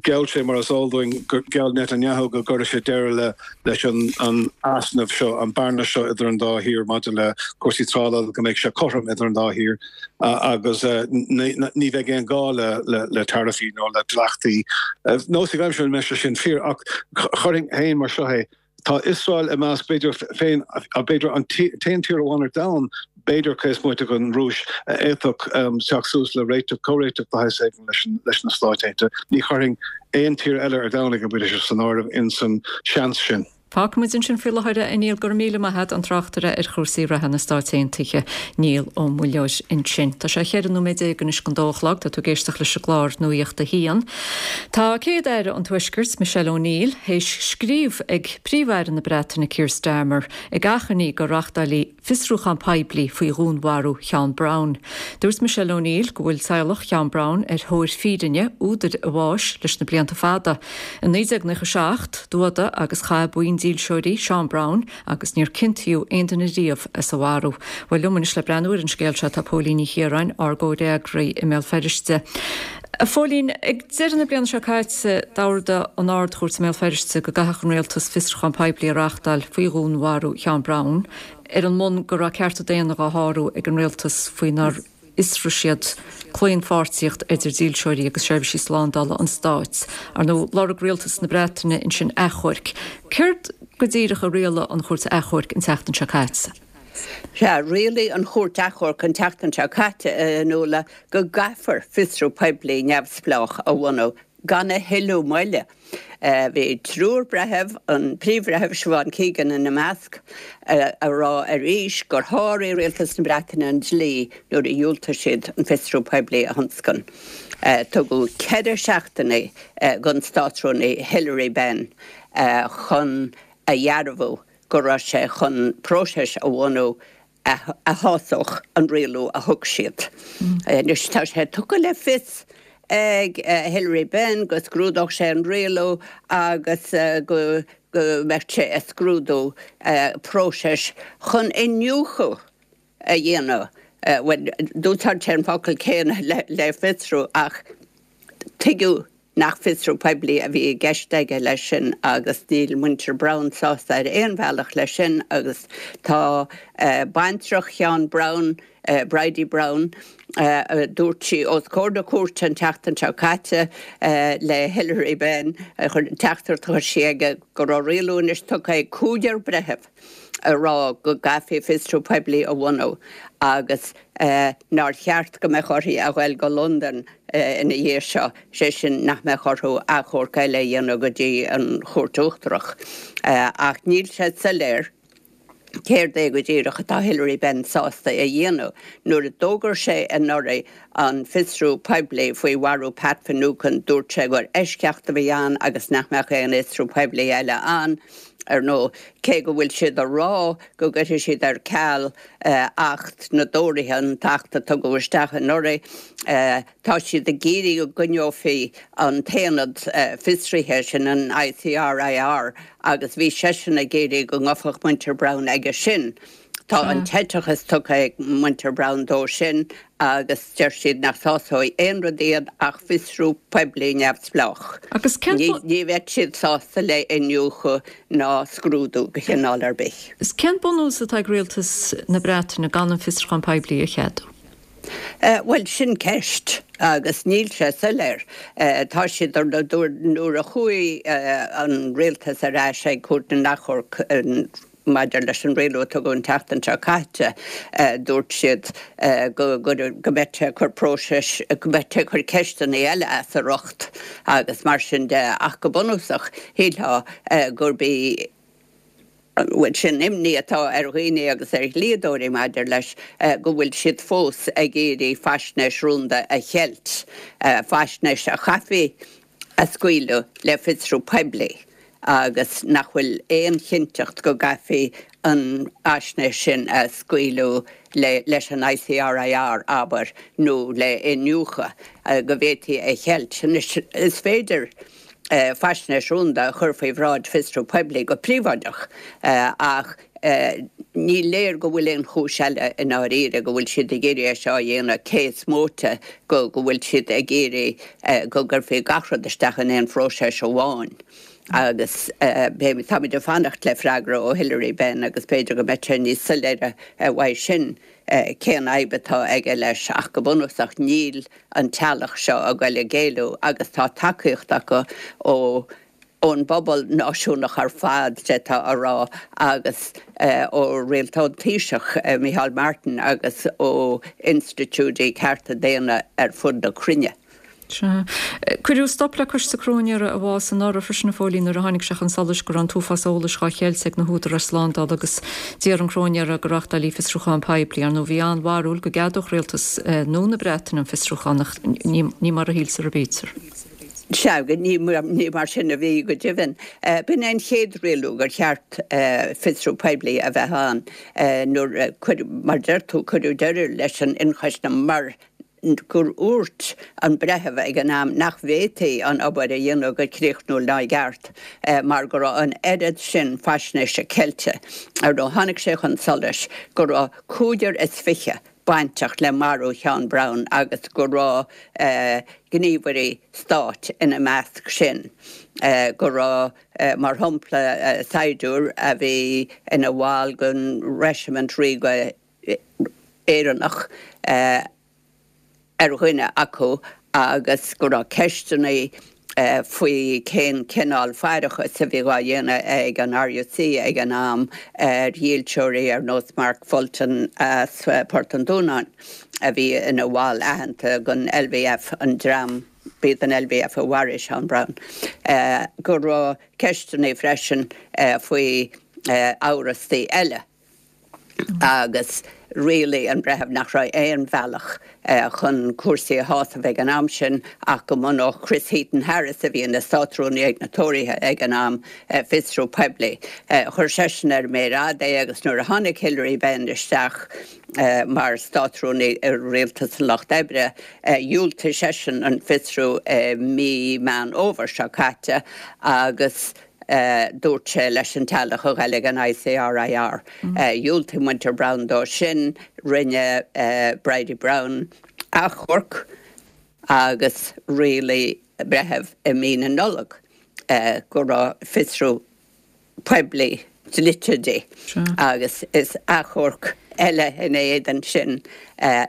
Gheall sé, mar is eol dúinn, gheall Netanyahu go gcuirfeadh sé deireadh leis an easnamh seo, an bearna seo idir an dá thír maidir le cúrsaí trádála, go mbeadh sé cothrom idir an dá thír agus ní bheidh aon ghá le taraifí nó le dleachtaí. Nós ag aimsir an mbeidh sé sin fíor ach chuirfinn féin mar seo é, tá Iosrael i measc, b'fhéidir féin, b'fhéidir an t-aon tír amháin ar domhan, b'fhéidir, cé is moite den Rúis, a fhéadfadh teacht suas le réiteach, comhréiteach de shaghas éigin leis na Stáit Aontaithe. Ní chuirfinn aon tír eile ar domhan ag an bpointe seo san áireamh ins an seans sin. Fágfaidh muid ansin faoi láthair é, a Niall. Go raibh míle maith agat, an tráchtaire ar chúrsaí reatha na Stáit Aontaithe, Niall Ó Muilleoir ansin. Tá sé cheithre nóiméad déag anois don dó a chlog. Tá tú ag éisteacht leis an gclár Nuacht a hAon. Tá Céad-Aire an Tuaiscirt, Michelle O'Neill, théis scríobh ag Príomh-Aire na Breataine Keir Starmer ag achainí go reáchtálfaí fiosrúchán poiblí faoi dhúnmharú Sheán Brown. Dúirt Michelle O'Neill go bhfuil teaghlach Sheán Brown ar thóir fírinne, údair a bháis, leis na blianta fada. I naoi déag nócha seacht, d'fhuadaigh agus chaith buíon dílseoirí Seán Brown agus níor ciontaíodh aon duine riamh as a mharú. Bhuel, liom anois le breathnú ar an scéal seo tá Póilín Ní Chiaráin, ár gcomhfhreagraí i mBéal Feirste. A Phóilín, ag deireadh na bliana seo caite, d'ordaigh an Ard-Chúirt i mBéal Feirste go gcaithfeadh an Rialtas fiosrúchán poiblí a reáchtáil faoi dhúnmharú Sheán Brown, ar an mbonn go raibh cearta daonna á shárú ag an Rialtas faoinar fhiosraigh siad claonpháirtíocht idir dílseoirí agus seirbhísí slándála an stáit. Ar ndóigh, lorg Rialtas na Breataine ansin achomharc. Céard go díreach a rialaigh an Chúirt Achomhairc an tseachtain seo caite? Sea, rialaigh an Chúirt Achomhairc an tseachtain seo caite, a Fhionnuala, go gcaithfear fiosrú poiblí neamhspleách a bhunú gan a thuilleadh moille. Bhí triúr breitheamh, an Príomh-Bhreitheamh Siobhán Keegan ina measc, a rá arís gur sháraigh Rialtas na Breataine an dlí nuair a dhiúltaigh siad an fiosrú poiblí a thionscain. Tugadh ceithre seachtaine don Státrúnaí Hilary Benn chun a dhearbhú go raibh sé chun próiseas a bhunú a shásódh an rialú a thug siad. Anois tá sé tugtha le fios ag Hilary Benn go scrúdódh sé an rialú agus go mbeadh sé ag scrúdú próiseas chun iniúchadh a dhéanamh, bhuel, d'úsáid sé an focal céanna le fiosrú ach tuigeadh nach fiosrú poiblí a bhí i gceist aige leis sin agus níl muintir Browne sásta ar aon bhealach leis sin agus tá baintreach Sheán Browne, Bridie Browne, dúirt sí os comhair na cúirte an tseachtain seo caite le Hilary Benn, teachtaireacht a chuir sí aige go raibh rialú anois tugtha ag cúigear breitheamh a rá go gcaithfí fiosrú poiblí a bhunú agus nár cheart go mbeadh uirthi a ghoil go Londain ina dhiaidh seo, sé sin nach mbeadh orthu achomharc eile a dhéanamh go dtí an Chúirt Uachtarach. Ach níl sé soiléir céard é go díreach atá Hilary Benn sásta a dhéanamh. Nuair a d'fhógair sé anuraidh an fiosrú poiblí faoi mharú Pat Finucane, dúirt sé gur eisceacht a bhí ann agus nach mbeadh aon fhiosrú poiblí eile ann. Ar ndóigh, cé go bhfuil siad a rá go gcuirfidh siad ar ceal Acht na dTóraithe, an tAcht a tugadh isteach anuraidh, tá siad ag iarraidh go gcoinneofaí an t-aonad fiosraithe sin, an ICRIR, agus bhí seisean ag iarraidh go ngabhfadh muintir Browne aige sin. Tá an t-eiteachas tugtha ag muintir Browne dó sin agus deir siad nach sásóidh aon rud iad ach fiosrú poiblí neamhspleách. Agus cén Ní bheadh siad sásta le iniúchadh ná scrúdú de chineál ar bith. Is cén bunús atá ag rialtas na Breataine gan an fiosrúchán poiblí a cheadú? Bhuel, sin ceist agus níl sé soiléir. Tá siad, ar ndóigh, nuair a chuaigh an rialtas ar ais ag Cúirt na nAchomharc, maidir leis an rialú a tugadh an tseachtain seo caite, dúirt siad go go mbeadh sé ag cur próiseas, go mbeadh sé ag cur ceisteanna eile as a riocht agus mar sin de. Ach go bunúsach, shílfeá gurb í, bhuel, sin imní atá ar dhaoine agus ar dhlíodóirí maidir leis, go bhfuil siad fós ag iarraidh faisnéis rúnda a cheilt, faisnéis a chaithfí a scaoileadh le fiosrú poiblí agus nach bhfuil aon chinnteacht go gcaithfí an fhaisnéis sin a scaoileadh leis an ICRIR, abair, nó le iniúchadh, go bhféadfaí a cheilt. Anois, is féidir faisnéis rúnda a chur faoi bhráid fiosrú poiblí go príobháideach ach ní léir go bhfuil aon chúis eile i ndáiríre go bhfuil siad ag iarraidh é seo a dhéanamh cé is móite go go bhfuil siad ag iarraidh go gcuirfí gach rud isteach in aon phróiseas amháin. Agus táimid ag fanacht le freagra ó Hilary Benn agus b'fhéidir go mbeidh sé níos soiléire uaidh sin cén fhadhb atá aige leis ach go bunúsach níl an teaghlach seo ag goil ag géilleadh agus tá tacaíocht acu ó ón bpobal náisiúnach ar fad, d'fhéadfá a rá, agus ó rialtas an Taoiseach, Micheál Martin, agus ó institiúidí cearta daonna ar fud na cruinne. Sea. Cuireadh stop le Coiste Cróinéara a bhfás anuraidh freisin, a Phóilín, nuair a tháinig sé chun solais go raibh an t-uafás eolais dhá cheilt ag na húdaráis slándála agus d'iarr an cróinéir go reáchtálfaí fiosrúchán poiblí. Ar ndóigh, bhí an-bharúil go gceadódh rialtas nua na Breataine an fiosrúchán ach ní mar a shíltear a bítear. Sea, ní mar sin a bhí, go deimhin. B'in é an chéad rialú gur cheart fiosrú poiblí a bheith ann nuair, mar a deir tú, cuireadh deireadh leis an ionchoisne mar gur dhúirt an breitheamh ag an am nach bhféadfaí an obair a dhéanamh go críochnúil ná i gceart mar go raibh an oiread sin faisnéise ceilte. Ar ndóigh, tháinig sé chun solais go raibh cúigear is fiche bainteach le marú Sheáin Brown agus go raibh gníomhairí stáit ina measc sin, go raibh, mar shampla, saighdiúir a bhí ina bhall den Reisimint Ríoga Éireannach ar dhuine acu agus go raibh ceisteanna faoi cén cineál faireachais a bhí dhá dhéanamh ag an RUC ag an am ar dhílseoirí ar nós Mark Fulton as Port an Dúnáin a bhí ina bhall aitheanta den LVF, an dream, b'iad an LVF a mharaigh Seán Brown, go raibh ceisteanna freisin faoi amhrastaí eile. agus rialaigh an breitheamh nach raibh aon bhealach chun cúrsaí a shásamh ag an am sin ach go mbunódh Chris Heaton-Harris, a bhí ina Státrúnaí ag na Tóraithe ag an am, fiosrú poiblí. Chuir seisean ar an méar fhada é agus nuair a tháinig Hilary Benn isteach mar Státrúnaí i Rialtas an Lucht Oibre, dhiúltaigh seisean an fiosrú i mí Meán Fhómhair seo caite agus Dúirt sé leis an teaghlach a ghoil ag an ICRIR. Dhiúltaigh muintir Browne dó sin. Rinne Bridie Browne achomharc agus rialaigh breitheamh i mí na Nollag go raibh fiosrú poiblí dlite di agus is achomharc eile ina éadan sin,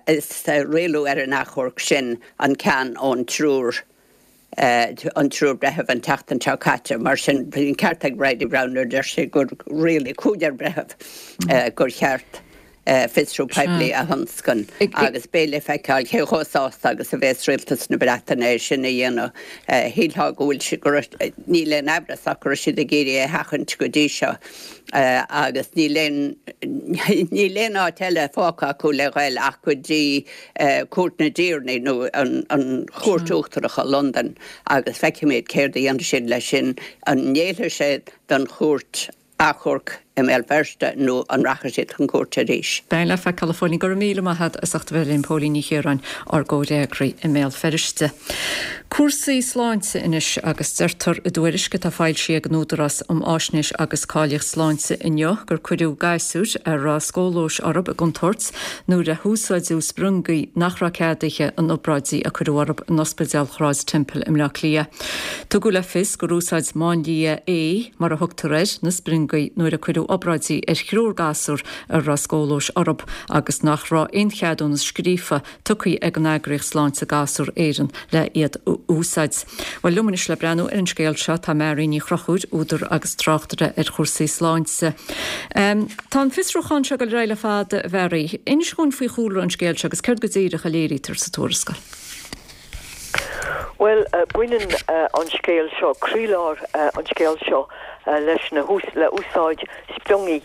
is rialú ar an achomharc sin an ceann ón triúr an triúr breitheamh an tseachtain seo caite. Mar sin, bhí an ceart ag Bridie Browne nuair a deir sí gur rialaigh cúigear breitheamh gur cheart fiosrú poiblí a thionscain agus beidh le feiceáil cé chomh sásta agus a bhéas rialtas na Breataine é sin a dhéanamh. Shílfeá go bhfuil siad, go raibh, níl aon amhras ach go raibh siad ag iarraidh é a sheachaint go dtí seo. agus níl aon níl aon áit eile fágtha acu le ghoil ach go dtí Cúirt na dTiarnaí nó an Chúirt Uachtarach i Londain agus feicfimid céard a dhéanfaidh siad leis sin, an ngéillfidh sé don chúirt achomhairc i mBéal Feirste nó an rachaidh siad chun cúirte arís. Beidh le feiceáil, a Phóilín. Go raibh míle maith agat as ucht a bheith linn, Póilín Ní Chiaráin, ár gcomhfhreagraí i mBéal Feirste. Cúrsaí sláinte anois agus deirtear i dtuairisc atá foilsithe ag an Údarás um Fháisnéis agus Cáilíocht Sláinte inniu gur cuireadh gasúir a raibh scólóis orthu i gcontúirt nuair a húsáideadh spriongaí nach raibh ceadaithe in obráidí a cuireadh orthu in Ospidéal Shráid Temple i mBleá Cliath. Tugadh le fios gur úsáid Máinlia A, mar a thugtar air, na spriongaí nuair a cuireadh rinneadh obráidí ar thriúr gasúr a raibh scóilióis orthu agus nach raibh aon cheadúnas scríofa tugtha ag an eagraíocht Sláinte Gasúr Éireann le iad a úsáid. Bhuel, liom anois le breathnú ar an scéal seo tá Mary Ní Chonchúir, údar agus tráchtaire ar chúrsaí sláinte. Tá an fiosrúchán seo ag dul ar aghaidh le fada, a Mhary. Inis dhúinn faoi chúlra an scéil seo agus céard go díreach a léirítear sa tuarascáil. Bhuel, baineann an scéal seo, croílár an scéil seo leis na le úsáid spriongaí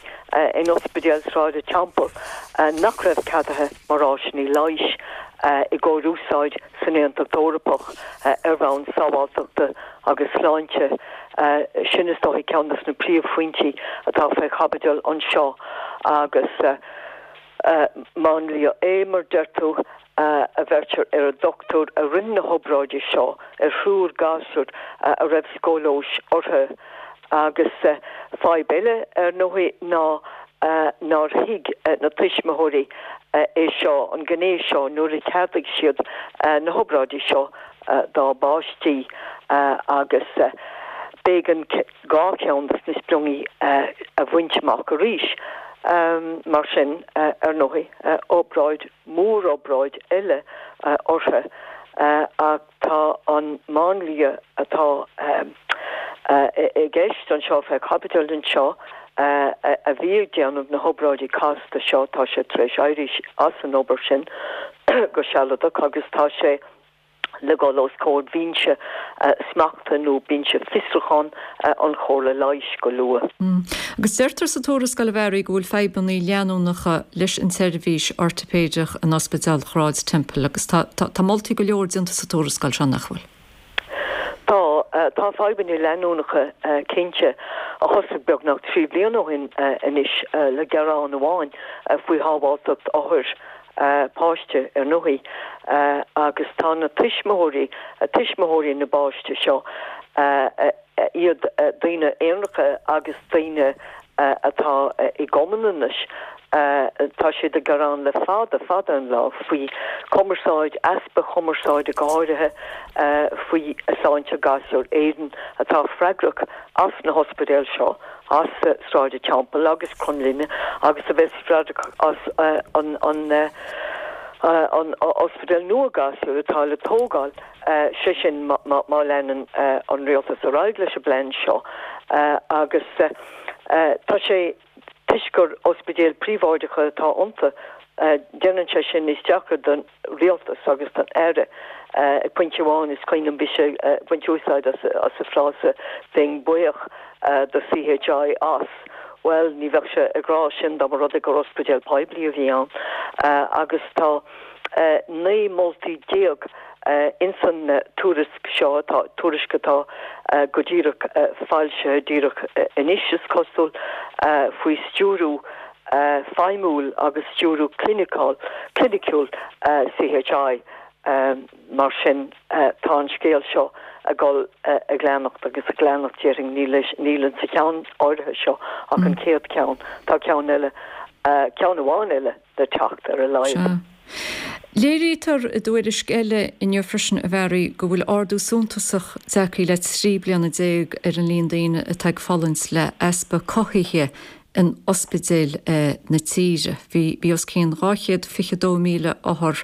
in Ospidéal Sráid an Teampaill nach raibh ceadaithe mar áiseanna leighis i gcomhair úsáid san Aontas Eorpach ar bhonn sábháilteachta agus sláinte. Sin is dóigh ceann de na príomhphointí atá fé chaibidil anseo agus máinlia é mar deir tú a bheirtear ar an dochtúir a rinne na hobráidí seo ar thriúr gasúr a raibh scóilióis orthu. Agus fadhb eile ar ndóigh ná nár thuig na tuismitheoirí é seo, an ghné seo, nuair a cheadaigh siad na hobráidí seo dá bpáistí agus b'éigean dhá cheann de na spriongaí a bhaint amach arís. Mar sin, ar ndóigh, obráid, mórobráid eile orthu ach tá an máinlia atá i gceist anseo fé chaibidil anseo a bhí ag déanamh na hobráidí casta seo, tá sé tar éis éirí as an obair sin go sealadach agus tá sé le dhul os comhair bhinse smachta nó binse fiosrúcháin an Chomhairle Leighis go luath. Agus deirtear sa tuarascáil a Mhary go bhfuil fadhbanna leanúnacha leis an tseirbhís ortaipéideach in Ospidéal Shráid Temple agus tá tá moltaí go leor déanta sa tuarascáil seo, nach bhfuil? Tá, tá fadhbanna leanúnacha cinnte, a thosaigh beagnach trí bliana ó shin anois le gearán amháin faoi shábháilteacht othair. páiste ar ndóigh agus tá na tuismitheoirí, tuismitheoirí na bpáistí seo, iad daoine aonaracha agus daoine atá i gcumann anois, tá siad ag gearán le fada, fada an lá faoi chumarsáid, easpa chumarsáide go háirithe faoi Sláinte Gasúr Éireann atá freagrach as na hospidéil seo. as Sráid an Teampaill agus Cromghlinne agus a bheas freagrach as an an ospidéal nua gasúr atá le tógáil, sé sin má leanann an rialtas ar aghaidh leis an bplean seo agus tá sé toisc gur ospidéil príobháideacha atá iontu, déanann sé sin níos deacra don rialtas agus don Aire. Ag pointe amháin is cuimhin liom bhí sé ag baint úsáid as an frása 'bheinn buíoch do CHI as'. Bhuel, ní bheadh sé ag rá sin dá mba rud é gur ospidéal poiblí a bhí ann. Agus tá naoi moltaí déag ins an tuairisc seo, tuairisc atá go díreach foilsithe díreach anois is cosúil, faoi stiúriú feidhmiúil agus stiúriú cliniciúil CHI. Mar sin, tá an scéal seo ag dul ag leanacht agus ag leanacht, déarfainn, níl insa cheann áirithe seo ach an chéad cheann, tá ceann eile, ceann amháin eile le teacht ar a laghad. Léirítear i dtuairisc eile inniu freisin, a Mhary, go bhfuil ardú suntasach tagtha le trí bliana déag ar an líon daoine atá ag fulaingt le easpa cothaithe in ospidéil na tíre. Bhí bhí os cionn dhá chéad fiche dó míle othar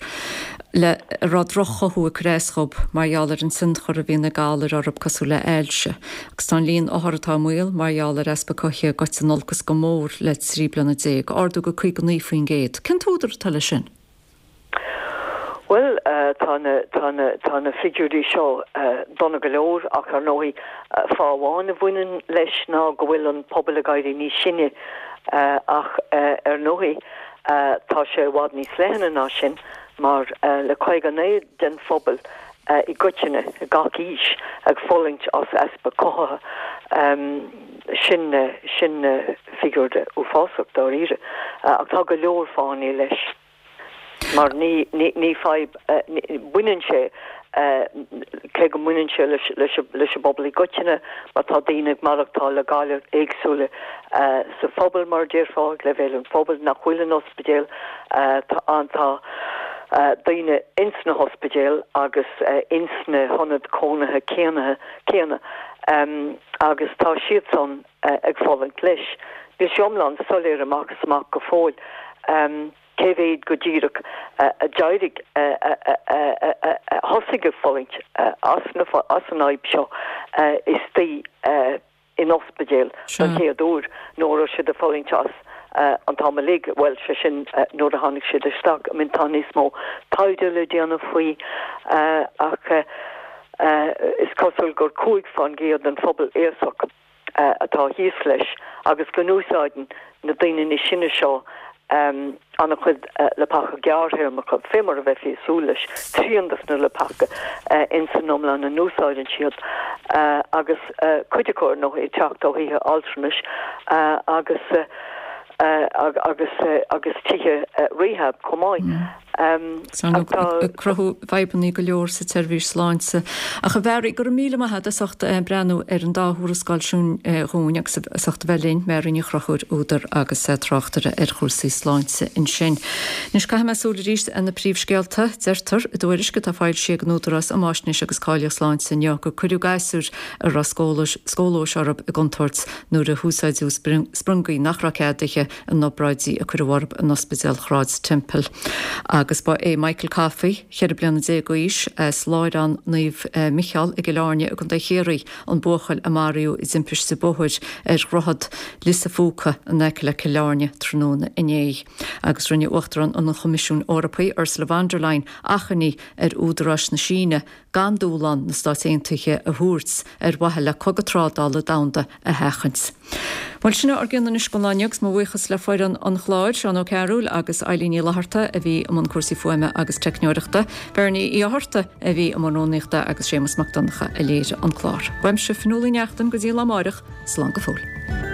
le a raibh droch-chothú ag cur as dhób mar gheall ar an tionchar a bhíonn ag galair orthu cosúil le hailse. Agus tá an líon othar atá i mbaol mar gheall ar easpa cothaithe gaibhte in olcas go mór le trí bliana déag, ardú go caoga naoi faoin gcéad. Cén t-údar atá leis sin? Bhuel, tá na, tá na, tá na figiúirí seo dona go leor ach ar ndóigh fáth amháin a bhaineann leis ná go bhfuil an pobal ag éirí níos sine ach ar ndóigh tá sé i bhfad níos leithne ná sin mar le caoga naoi den phobal i gcoitinne, ag gach aois, ag fulaingt as easpa cothaithe. Sin, sin figiúr uafásach dáiríre ach tá go leor fáthanna leis. Mar ní, ní, ní fadhb, baineann sé, cé go mbaineann sé leis, leis, leis an bpobal i gcoitinne, mar tá daoine ag maireachtáil le galair éagsúla sa phobal, mar a déarfá, ag leibhéal an phobail, nach bhfuil in ospidéal, tá an, tá daoine ins na hospidéil agus ins na hionaid cónaithe céanna, céanna, agus tá siadsan ag fulaingt leis. Níl sé iomlán soiléir amach is amach go fóill cé mhéad go díreach a d'éirigh, a thosaigh ag fulaingt as an fhadhb seo istigh in ospidéal don chéad uair nó a raibh siad ag fulaingt as an t-am uilig, bhuel, sé sin nuair a tháinig siad isteach. I mean tá níos mó taighde le déanamh faoi ach is cosúil gur cúig faoin gcéad den phobal aosach atá thíos leis agus go n-úsáideann na daoine níos sine seo an-chuid leapacha gearrthéarmacha, fé mar a bheifí ag súil leis, trian dos na leapacha ins an iomlán a n-úsáideann siad agus cuid acu ar ndóigh ag teacht ó thithe altranais agus agus agus tithe rehab chomh maith. Ag cruthú fadhbanna go leor sa tseirbhís sláinte. Ach a Mhary, go raibh míle maith agat as ucht breathnú ar an dá thuarascáil sin dhúinn agus as ucht a bheith linn, Mary Ní Chonchúir, údar agus tráchtaire ar chúrsaí sláinte ansin. Anois caithfidh mé súil arís ar na príomhscéalta. Deirtear i dtuairisc atá foilsithe ag an Údarás um Fháisnéis agus Cáilíocht Sláinte inniu gur cuireadh gasúir a raibh scólóis orthu i gcontúirt nuair a húsáideadh spriongaí nach raibh ceadaithe in obráidí a cuireadh orthu in Ospidéal Shráid Temple. Agus ba é Michael Coffey, ceithre bliana déag d'aois, as Láithreán Naomh Micheál i gCill Airne i gContae Chiarraí, an buachaill a maraíodh i dtimpiste bóthair ar dhroichead Lios a' Phúca in aice le Cill Airne tráthnóna inné. Agus rinne Uachtarán an Choimisiúin Eorpaigh, Ursula von der Leyen, achainí ar údaráis na Síne gan dúshlán na Stát Aontaithe a thabhairt ar mhaithe le cogadh trádála domhanda a sheachaint. Bhuel, sin ár gcionn anois don lá inniu agus mo bhuíochas le foireann an chláir, Seán Ó Cearúil agus Eilín Ní Fhlatharta a bhí i mbun cúrsaí fuaime agus teicneoireachta, Bernie Uí Fhátharta a bhí i mbun rúnaíochta agus Séamus Mac Donncha a léirigh an clár. Uaimse Fionnuala Ní Neachtain go dtí lá amáireach, slán go fóill.